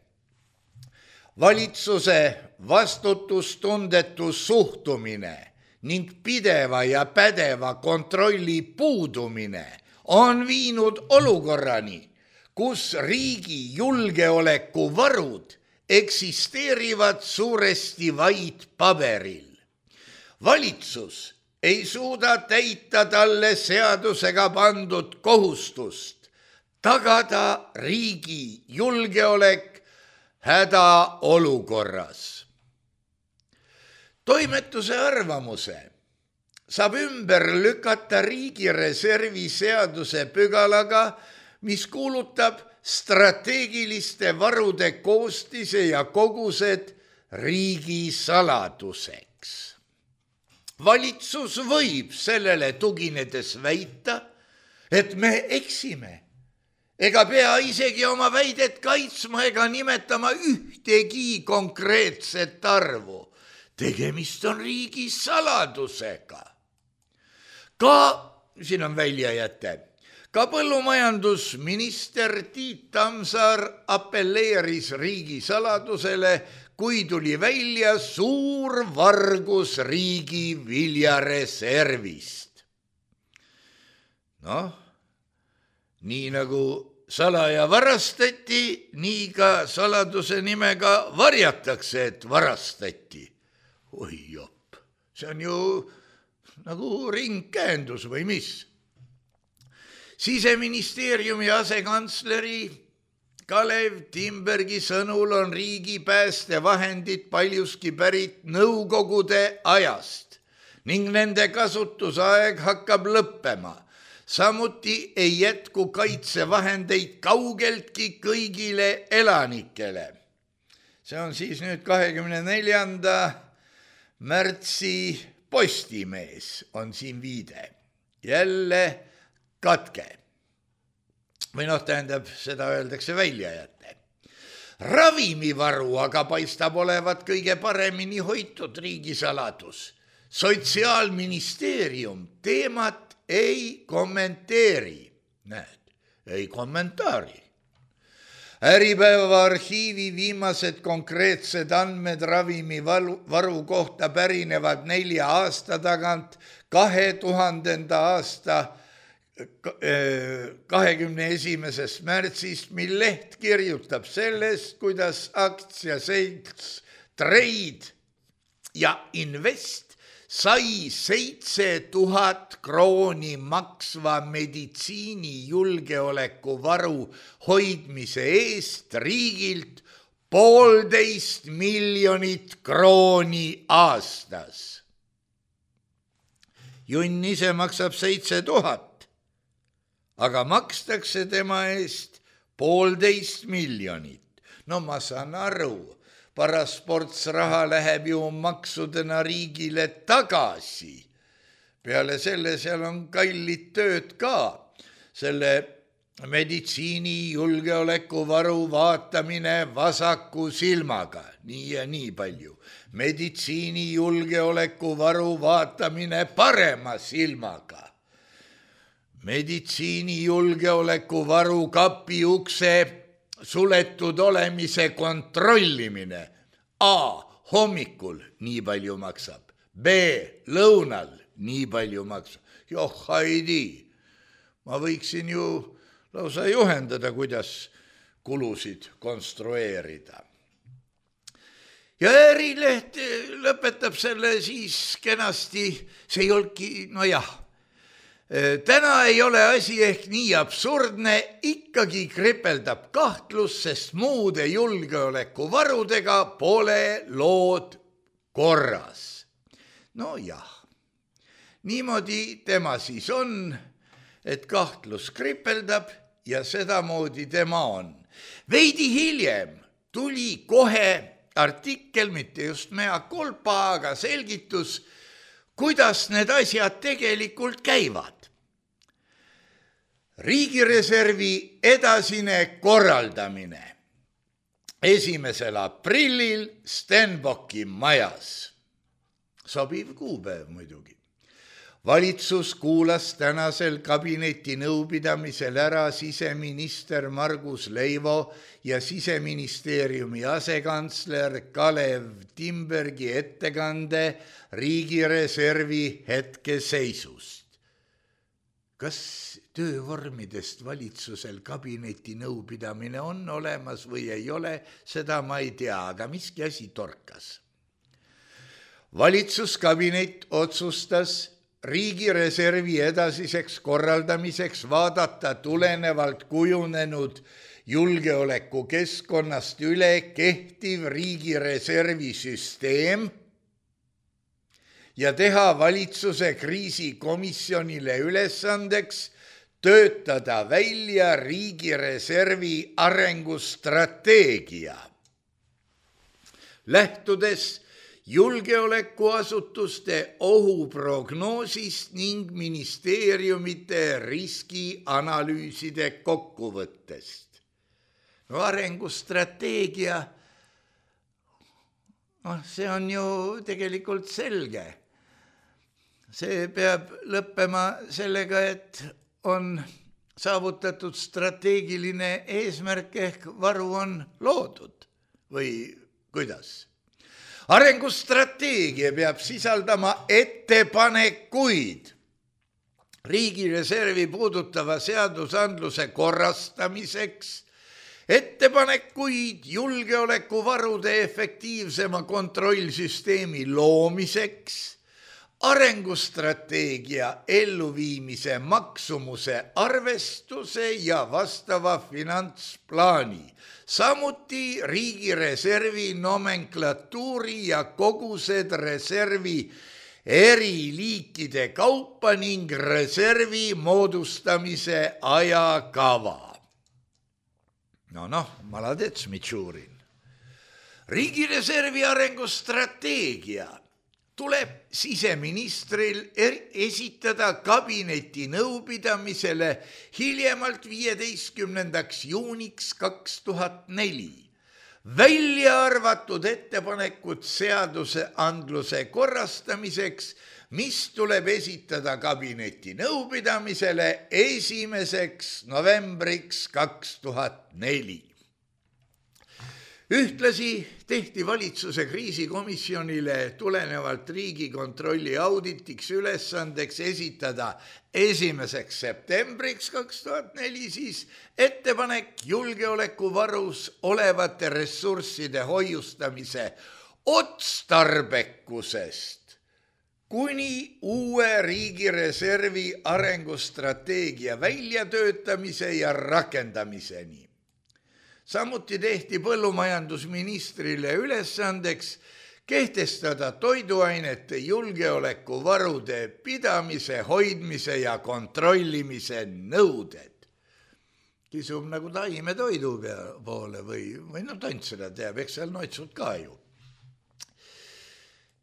valitsuse vastutustundetu suhtumine ning pideva ja pädeva kontrolli puudumine on viinud olukorrani, kus riigi julgeolekuvarud eksisteerivad suuresti vaid paberil. Valitsus ei suuda täita talle seadusega pandud kohustust tagada riigi julgeolek hädaolukorras. Toimetuse arvamuse saab ümber lükata riigireservi seaduse pügalaga, mis kuulutab strateegiliste varude koostise ja kogused riigi saladuseks. Valitsus võib sellele tuginedes väita, et me eksime, ega pea isegi oma väidet kaitsma ega nimetama ühtegi konkreetset arvu. Tegemist on riigi saladusega. Siin on väljajäte. Ka põllumajandusminister Tiit Tamsar appelleeris riigi saladusele, kui tuli välja suur vargus riigi viljareservist. Nii nagu salaja varastati, nii ka saladuse nimega varjatakse, et varastati. Oi jopp, see on ju nagu ringkäendus või mis? Siseministeeriumi asekantsleri Kalev Timbergi sõnul on riigi päästevahendid paljuski pärit nõukogude ajast ning nende kasutusaeg hakkab lõppema. Samuti ei jätku kaitsevahendeid kaugeltki kõigile elanikele. See on siis nüüd 24. märtsi Postimees on siin viide. Jälle katke. Või tähendab, seda öeldakse väljajäte. Ravimivaru aga paistab olevat kõige paremini hoitud riigisaladus. Sotsiaalministeerium teemat ei kommenteeri. Näed, ei kommentaari. Äripäeva arhiivi viimased konkreetsed andmed ravimivaru kohta pärinevad 4 aasta tagant 2000. aasta 21. märtsist, mil leht kirjutab sellest, kuidas aktsiaselts Trade ja Invest sai 7000 krooni maksva meditsiinijulgeolekuvaru hoidmise eest riigilt 1,5 miljonit krooni aastas. Junn ise maksab 7000, aga makstakse tema eest 1,5 miljonit. No ma saan aru, parasportsraha läheb ju maksudena riigile tagasi. Peale selle seal on kallid tööd ka. Selle meditsiini julgeolekuvaru vaatamine vasaku silmaga, nii ja nii palju. Meditsiini julgeolekuvaru vaatamine parema silmaga. Meditsiini julgeolekuvaru kapi ukse suletud olemise kontrollimine. A. Hommikul nii palju maksab. B. Lõunal nii palju maksab. Joh, haidi. ma võiksin ju lausa juhendada, kuidas kulusid konstrueerida. Ja Ärileht lõpetab selle siis kenasti, see ei olnudki, no jah, täna ei ole asi ehk nii absurdne, ikkagi kripeldab kahtlus, sest muude julgeolekuvarudega pole lood korras. No jah, niimoodi tema siis on, et kahtlus kripeldab ja sedamoodi tema on. Veidi hiljem tuli kohe artikkel, mitte just mea culpa, aga selgitus, kuidas need asjad tegelikult käivad. Riigireservi edasine korraldamine 1. aprillil Stenbocki majas. Sobiv kuupäev muidugi. Valitsus kuulas tänasel kabineti nõupidamisel ära siseminister Margus Leivo ja siseministeeriumi asekantsler Kalev Timbergi ettekande riigireservi hetkeseisust. Kas töövormidest valitsusel kabineti nõupidamine on olemas või ei ole, seda ma ei tea, aga miski asi torkas. Valitsuskabinet otsustas riigireservi edasiseks korraldamiseks vaadata tulenevalt kujunenud julgeolekukeskkonnast üle kehtiv riigireservi süsteem ja teha valitsuse kriisikomisjonile ülesandeks töötada välja riigireservi arengustrateegia. Lähtudes julgeolekuasutuste ohuprognoosist ning ministeeriumite riskianalüüside kokkuvõttest. No arengustrateegia, see on ju tegelikult selge. See peab lõppema sellega, et on saavutatud strateegiline eesmärk ehk varu on loodud või kuidas? Arengustrateegia peab sisaldama ettepanekuid riigireservi puudutava seadusandluse korrastamiseks, ettepanekuid julgeolekuvarude efektiivsema kontrollsüsteemi loomiseks, arengustrateegia elluviimise maksumuse arvestuse ja vastava finantsplaani, samuti riigireservi nomenklatuuri ja kogused reservi eri liikide kaupa ning reservi moodustamise ajakava. Maladets, Mitšurin. Riigireservi arengustrateegia tuleb siseministril esitada kabineti nõupidamisele hiljemalt 15. juuniks 2004. Välja arvatud ettepanekud seaduseandluse korrastamiseks, mis tuleb esitada kabineti nõupidamisele 1. novembriks 2004. Ühtlasi tehti valitsuse kriisikomisjonile tulenevalt Riigikontrolli auditiks ülesandeks esitada 1. septembriks 2004 siis ettepanek julgeolekuvarus olevate ressursside hoiustamise otstarbekusest kuni uue riigireservi arengustrateegia väljatöötamise ja rakendamiseni. Samuti tehti põllumajandusministrile ülesandeks kehtestada toiduainete julgeolekuvarude pidamise, hoidmise ja kontrollimise nõuded. Kisub nagu taimetoidu poole või tont seda teab, eks seal noitsud ka ju.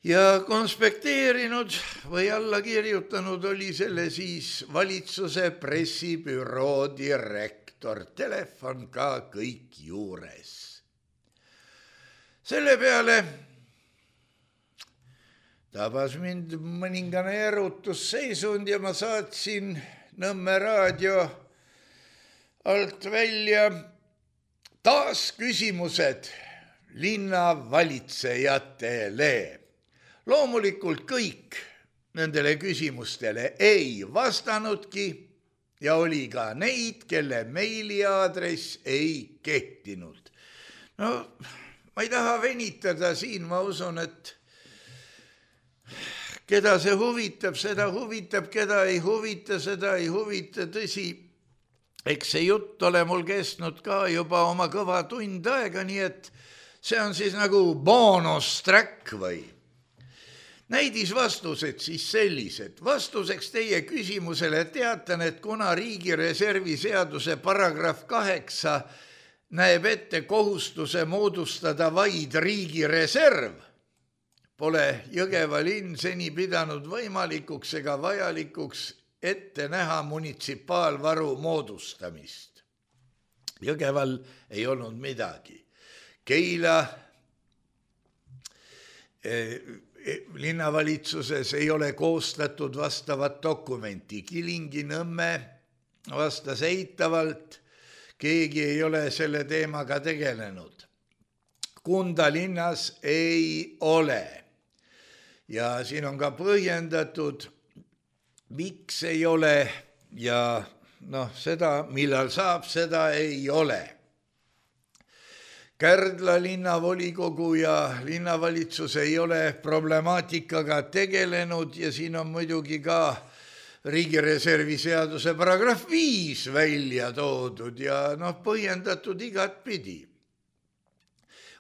Ja konspekteerinud või alla kirjutanud oli selle siis valitsuse pressibüroo direktor. Telefon ka kõik juures. Selle peale tabas mind mõningane erutusseisund ja ma saatsin Nõmme raadio alt välja taas küsimused linnavalitsejatele. Loomulikult kõik nendele küsimustele ei vastanudki, ja oli ka neid, kelle meiliaadress ei kehtinud. No, ma ei taha venitada siin, ma usun, et keda see huvitab, seda huvitab, keda ei huvita, seda ei huvita. Tõsi, eks see jutt ole mul kestnud ka juba oma kõva tund aega, nii et see on siis nagu boonus-track või. Näidisvastused siis sellised. Vastuseks teie küsimusele teatan, et kuna riigireservi seaduse paragrahv 8 näeb ette kohustuse moodustada vaid riigireserv, pole Jõgeva linn seni pidanud võimalikuks ega vajalikuks ette näha munitsipaalvaru moodustamist. Jõgeval ei olnud midagi. Keila linnavalitsuses ei ole koostatud vastavat dokumenti. Kilingi-Nõmme vastas eitavalt, keegi ei ole selle teemaga tegelenud. Kunda linnas ei ole. Ja siin on ka põhjendatud, miks ei ole ja seda, millal saab, seda ei ole. Kärdla linnavolikogu ja linnavalitsus ei ole problemaatikaga tegelenud ja siin on muidugi ka riigireservi seaduse paragrahv 5 välja toodud ja põhjendatud igatpidi.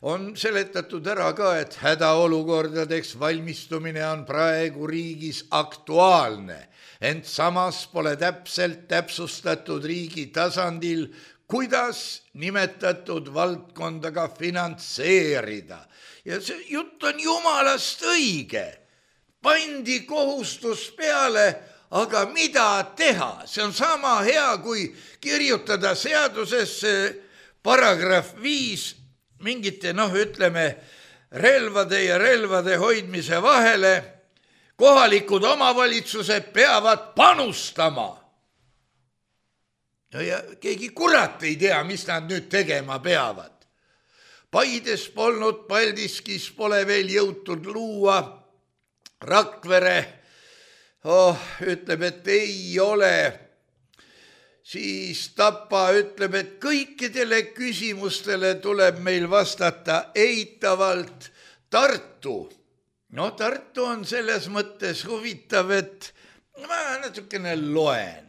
On seletatud ära ka, et hädaolukordadeks valmistumine on praegu riigis aktuaalne, ent samas pole täpselt täpsustatud riigi tasandil, kuidas nimetatud valdkondaga finantseerida. Ja see jutt on jumalast õige. Pandi kohustus peale, aga mida teha? See on sama hea, kui kirjutada seadusesse paragrahv 5 mingite, relvade ja relvade hoidmise vahele. Kohalikud omavalitsused peavad panustama. Ja keegi kurat ei tea, mis nad nüüd tegema peavad. Paides polnud, Paldiskis pole veel jõutud luua. Rakvere ütleb, et ei ole. Siis Tapa ütleb, et kõikidele küsimustele tuleb meil vastata eitavalt. Tartu. Tartu on selles mõttes huvitav, et ma natukene loen.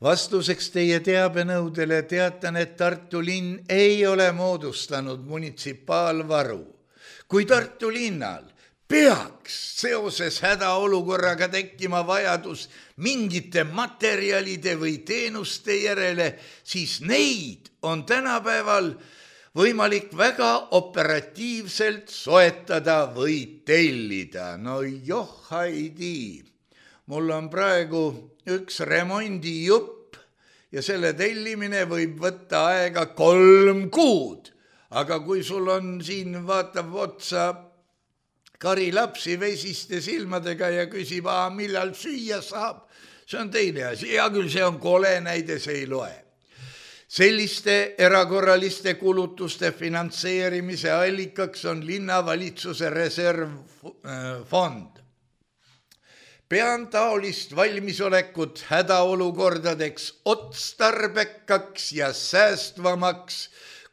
Vastuseks teie teabenõudele teatan, et Tartu linn ei ole moodustanud munitsipaalvaru. Kui Tartu linnal peaks seoses hädaolukorraga tekkima vajadus mingite materjalide või teenuste järele, siis neid on tänapäeval võimalik väga operatiivselt soetada või tellida. Haidi, mul on praegu üks remondijupp ja selle tellimine võib võtta aega 3 kuud. Aga kui sul on siin vaatab otsa Kari lapsi vesiste silmadega ja küsib, millal süüa saab, see on teine asi. Ja küll see on kole näide, see ei loe. Selliste erakorraliste kulutuste finantseerimise allikaks on linnavalitsuse reservfond. Pean taolist valmisolekut hädaolukordadeks otstarbekaks ja säästvamaks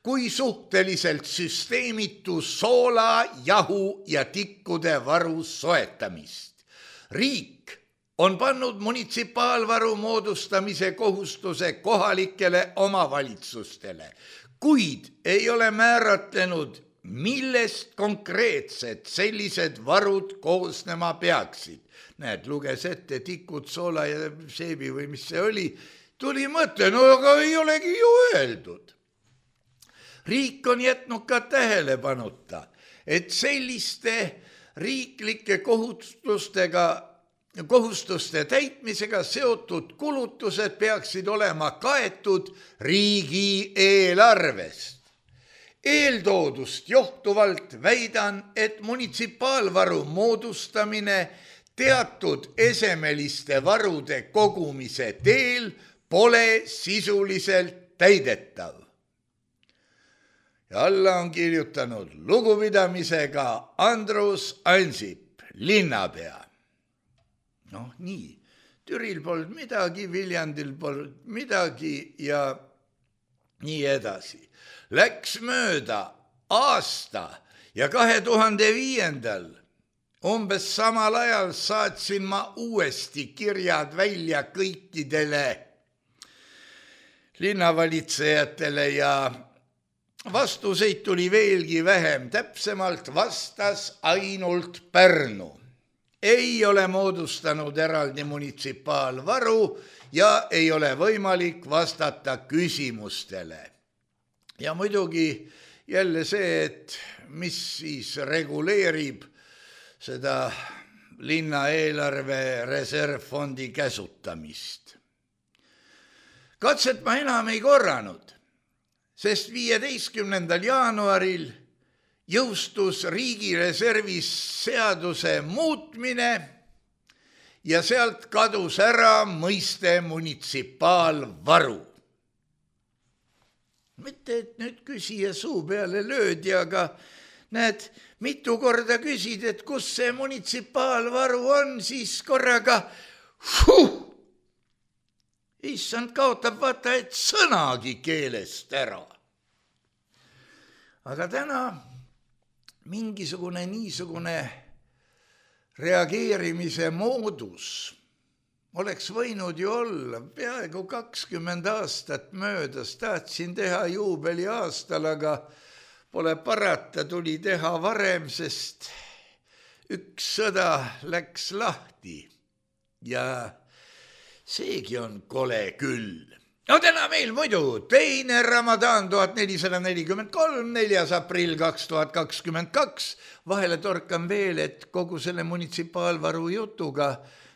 kui suhteliselt süsteemitu soola, jahu ja tikkude varu soetamist. Riik on pannud munitsipaalvaru moodustamise kohustuse kohalikele omavalitsustele, kuid ei ole määratlenud, millest konkreetselt sellised varud koosnema peaksid. Näed, luges ette tikud, soola ja seebi või mis see oli. Tuli mõte, aga ei olegi ju öeldud. Riik on jätnud ka tähelepanuta, et selliste riiklike kohustuste täitmisega seotud kulutused peaksid olema kaetud riigieelarvest. Eeltoodust johtuvalt väidan, et munitsipaalvaru moodustamine teatud esemeliste varude kogumise teel pole sisuliselt täidetav. Ja alla on kirjutanud lugupidamisega Andrus Ansip, linnapea. Nii, Türil polnud midagi, Viljandil polnud midagi ja nii edasi. Läks mööda aasta ja 2005. Umbes samal ajal saatsin ma uuesti kirjad välja kõikidele linnavalitsejatele ja vastuseid tuli veelgi vähem. Täpsemalt vastas ainult Pärnu. Ei ole moodustanud eraldi munitsipaalvaru ja ei ole võimalik vastata küsimustele. Ja muidugi jälle see, et mis siis reguleerib seda linna eelarve reservfondi käsutamist. Katset ma enam ei korranud, sest 15. jaanuaril jõustus riigireservis seaduse muutmine ja sealt kadus ära mõiste munitsipaalvaru. Mitte, et nüüd küsija suu peale löödi, aga näed, mitu korda küsid, et kus see munitsipaalvaru on, siis korraga issand kaotab vaata, et sõnagi keelest ära. Aga täna mingisugune niisugune reageerimise moodus oleks võinud ju olla. Peaaegu 20 aastat möödas, tahtsin teha juubeliaastal, aga pole parata, tuli teha varem, sest üks sõda läks lahti ja seegi on kole küll. No täna meil muidu 2. Ramadan 1443, 4. aprill 2022. Vahele torkan veel, et kogu selle munitsipaalvaru jutuga,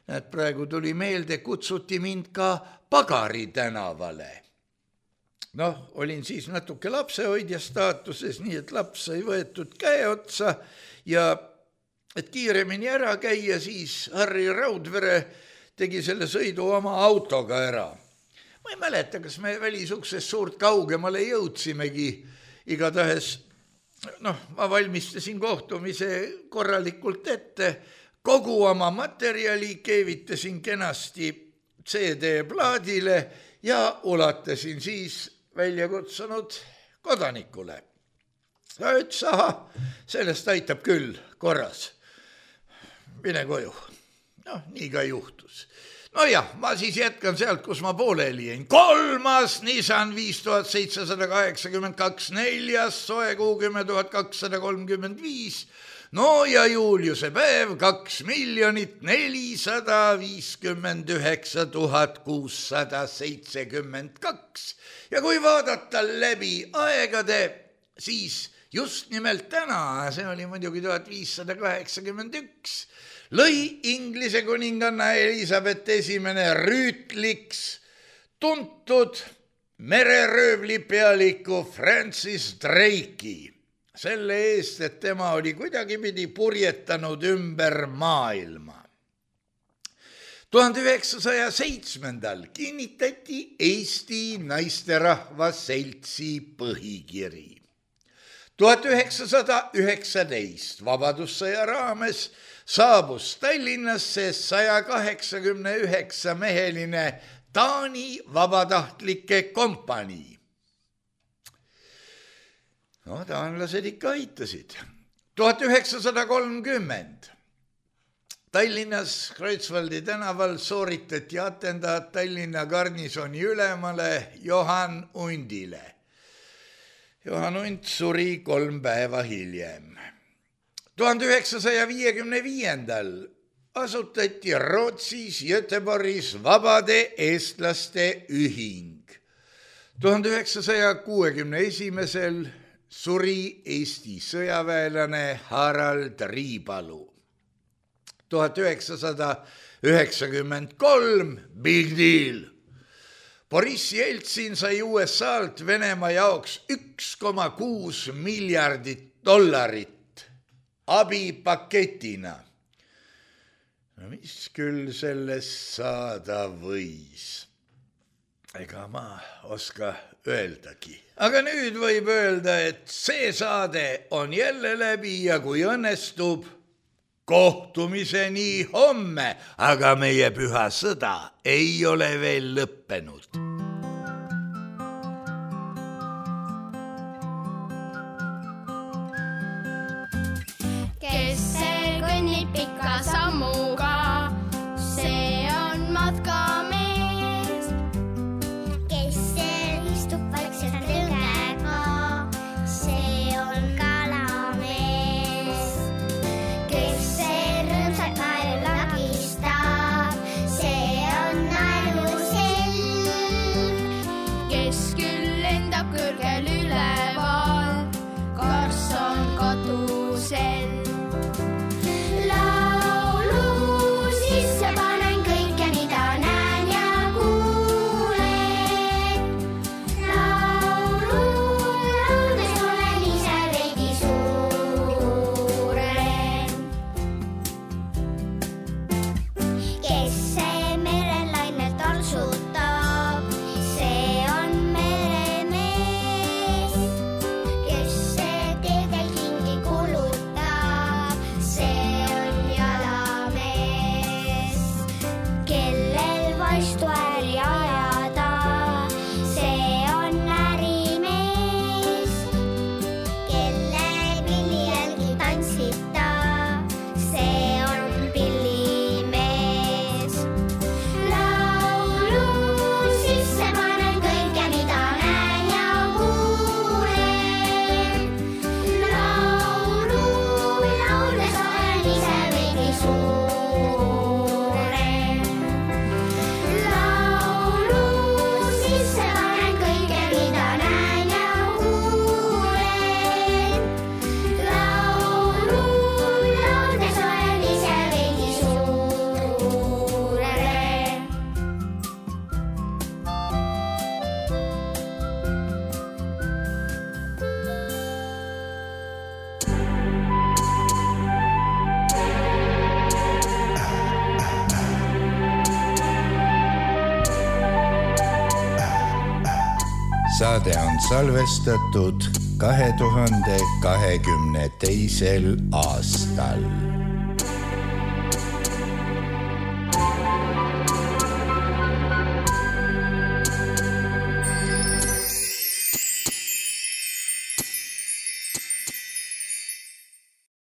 näed, praegu tuli meelde, kutsuti mind ka Pagari tänavale. Noh, olin siis natuke lapsehoidja staatuses, nii et laps sai võetud käe otsa ja et kiiremini ära käia, siis Harri Raudvere tegi selle sõidu oma autoga ära. Ma ei mäleta, kas me välisuksest suurt kaugemale jõudsimegi, igatahes, ma valmistasin kohtumise korralikult ette, kogu oma materjali keevitasin kenasti CD-plaadile ja ulatasin siis välja kutsunud kodanikule. Ta ütles, aha, sellest aitab küll korras. Mine koju. Nii ka juhtus. Nojah, ma siis jätkan sealt, kus ma pooleli jäin. 3. Nissan 5782, 4. soe kuu 10235, no ja Juliuse päev 2 459 672. Ja kui vaadata läbi aegade, siis just nimelt täna, see oli muidugi 1581, lõi Inglise kuninganna Elisabeth I rüütliks tuntud mereröövli pealiku Francis Drake'i selle eest, et tema oli kuidagipidi purjetanud ümber maailma. 1907. kinnitati Eesti Naisterahva Seltsi põhikiri. 1919 Vabadussõja raames saabus Tallinnasse 189-meheline Taani vabatahtlike kompanii. No, taanlased ikka aitasid. 1930 Tallinnas Kreutzwaldi tänaval sooritati atendaat Tallinna garnisoni ülemale Johan Undile. Johan Und suri 3 päeva hiljem. 1955. asutati Rootsis Göteborgis Vabade eestlaste ühing. 1961. suri Eesti sõjaväelane Harald Riipalu. 1993 Big Deal. Boris Jeltsin sai USA-lt Venemaa jaoks $1,6 miljardit abipaketina. No mis küll sellest saada võis? Ega ma oska öeldagi. Aga nüüd võib öelda, et see saade on jälle läbi ja kui õnnestub, Kohtumiseni homme, aga meie püha sõda ei ole veel lõppenud. Kes see kõnnib pika sammuga, see on matkamees. Kes seal istub vaikselt lõngega, see on kalamees. Kes see rõõmsalt naeru lagistab, see on naeruselg. Kes küll lendab kõrgel üleval, kas on katusel. Laulu sisse panen kõike, mida näen ja kuulen. Lauldes olen ise veidi suurem. Kes see merelainel taltsutab, see on meremees. Kes see teedel kingi kulutab, see on jalamees. Kellel vastu äri ajada, see on ärimees. Kelle pilli jälgi tantsita, see on pillimees. Laulu sisse panen kõike, mida näen ja kuulen. Lauldes olen ise veidi suurem. Laulu sisse panen kõike, mida näen ja kuulen. Lauldes olen ise veidi suurem. Saade on salvestatud 2022. aastal.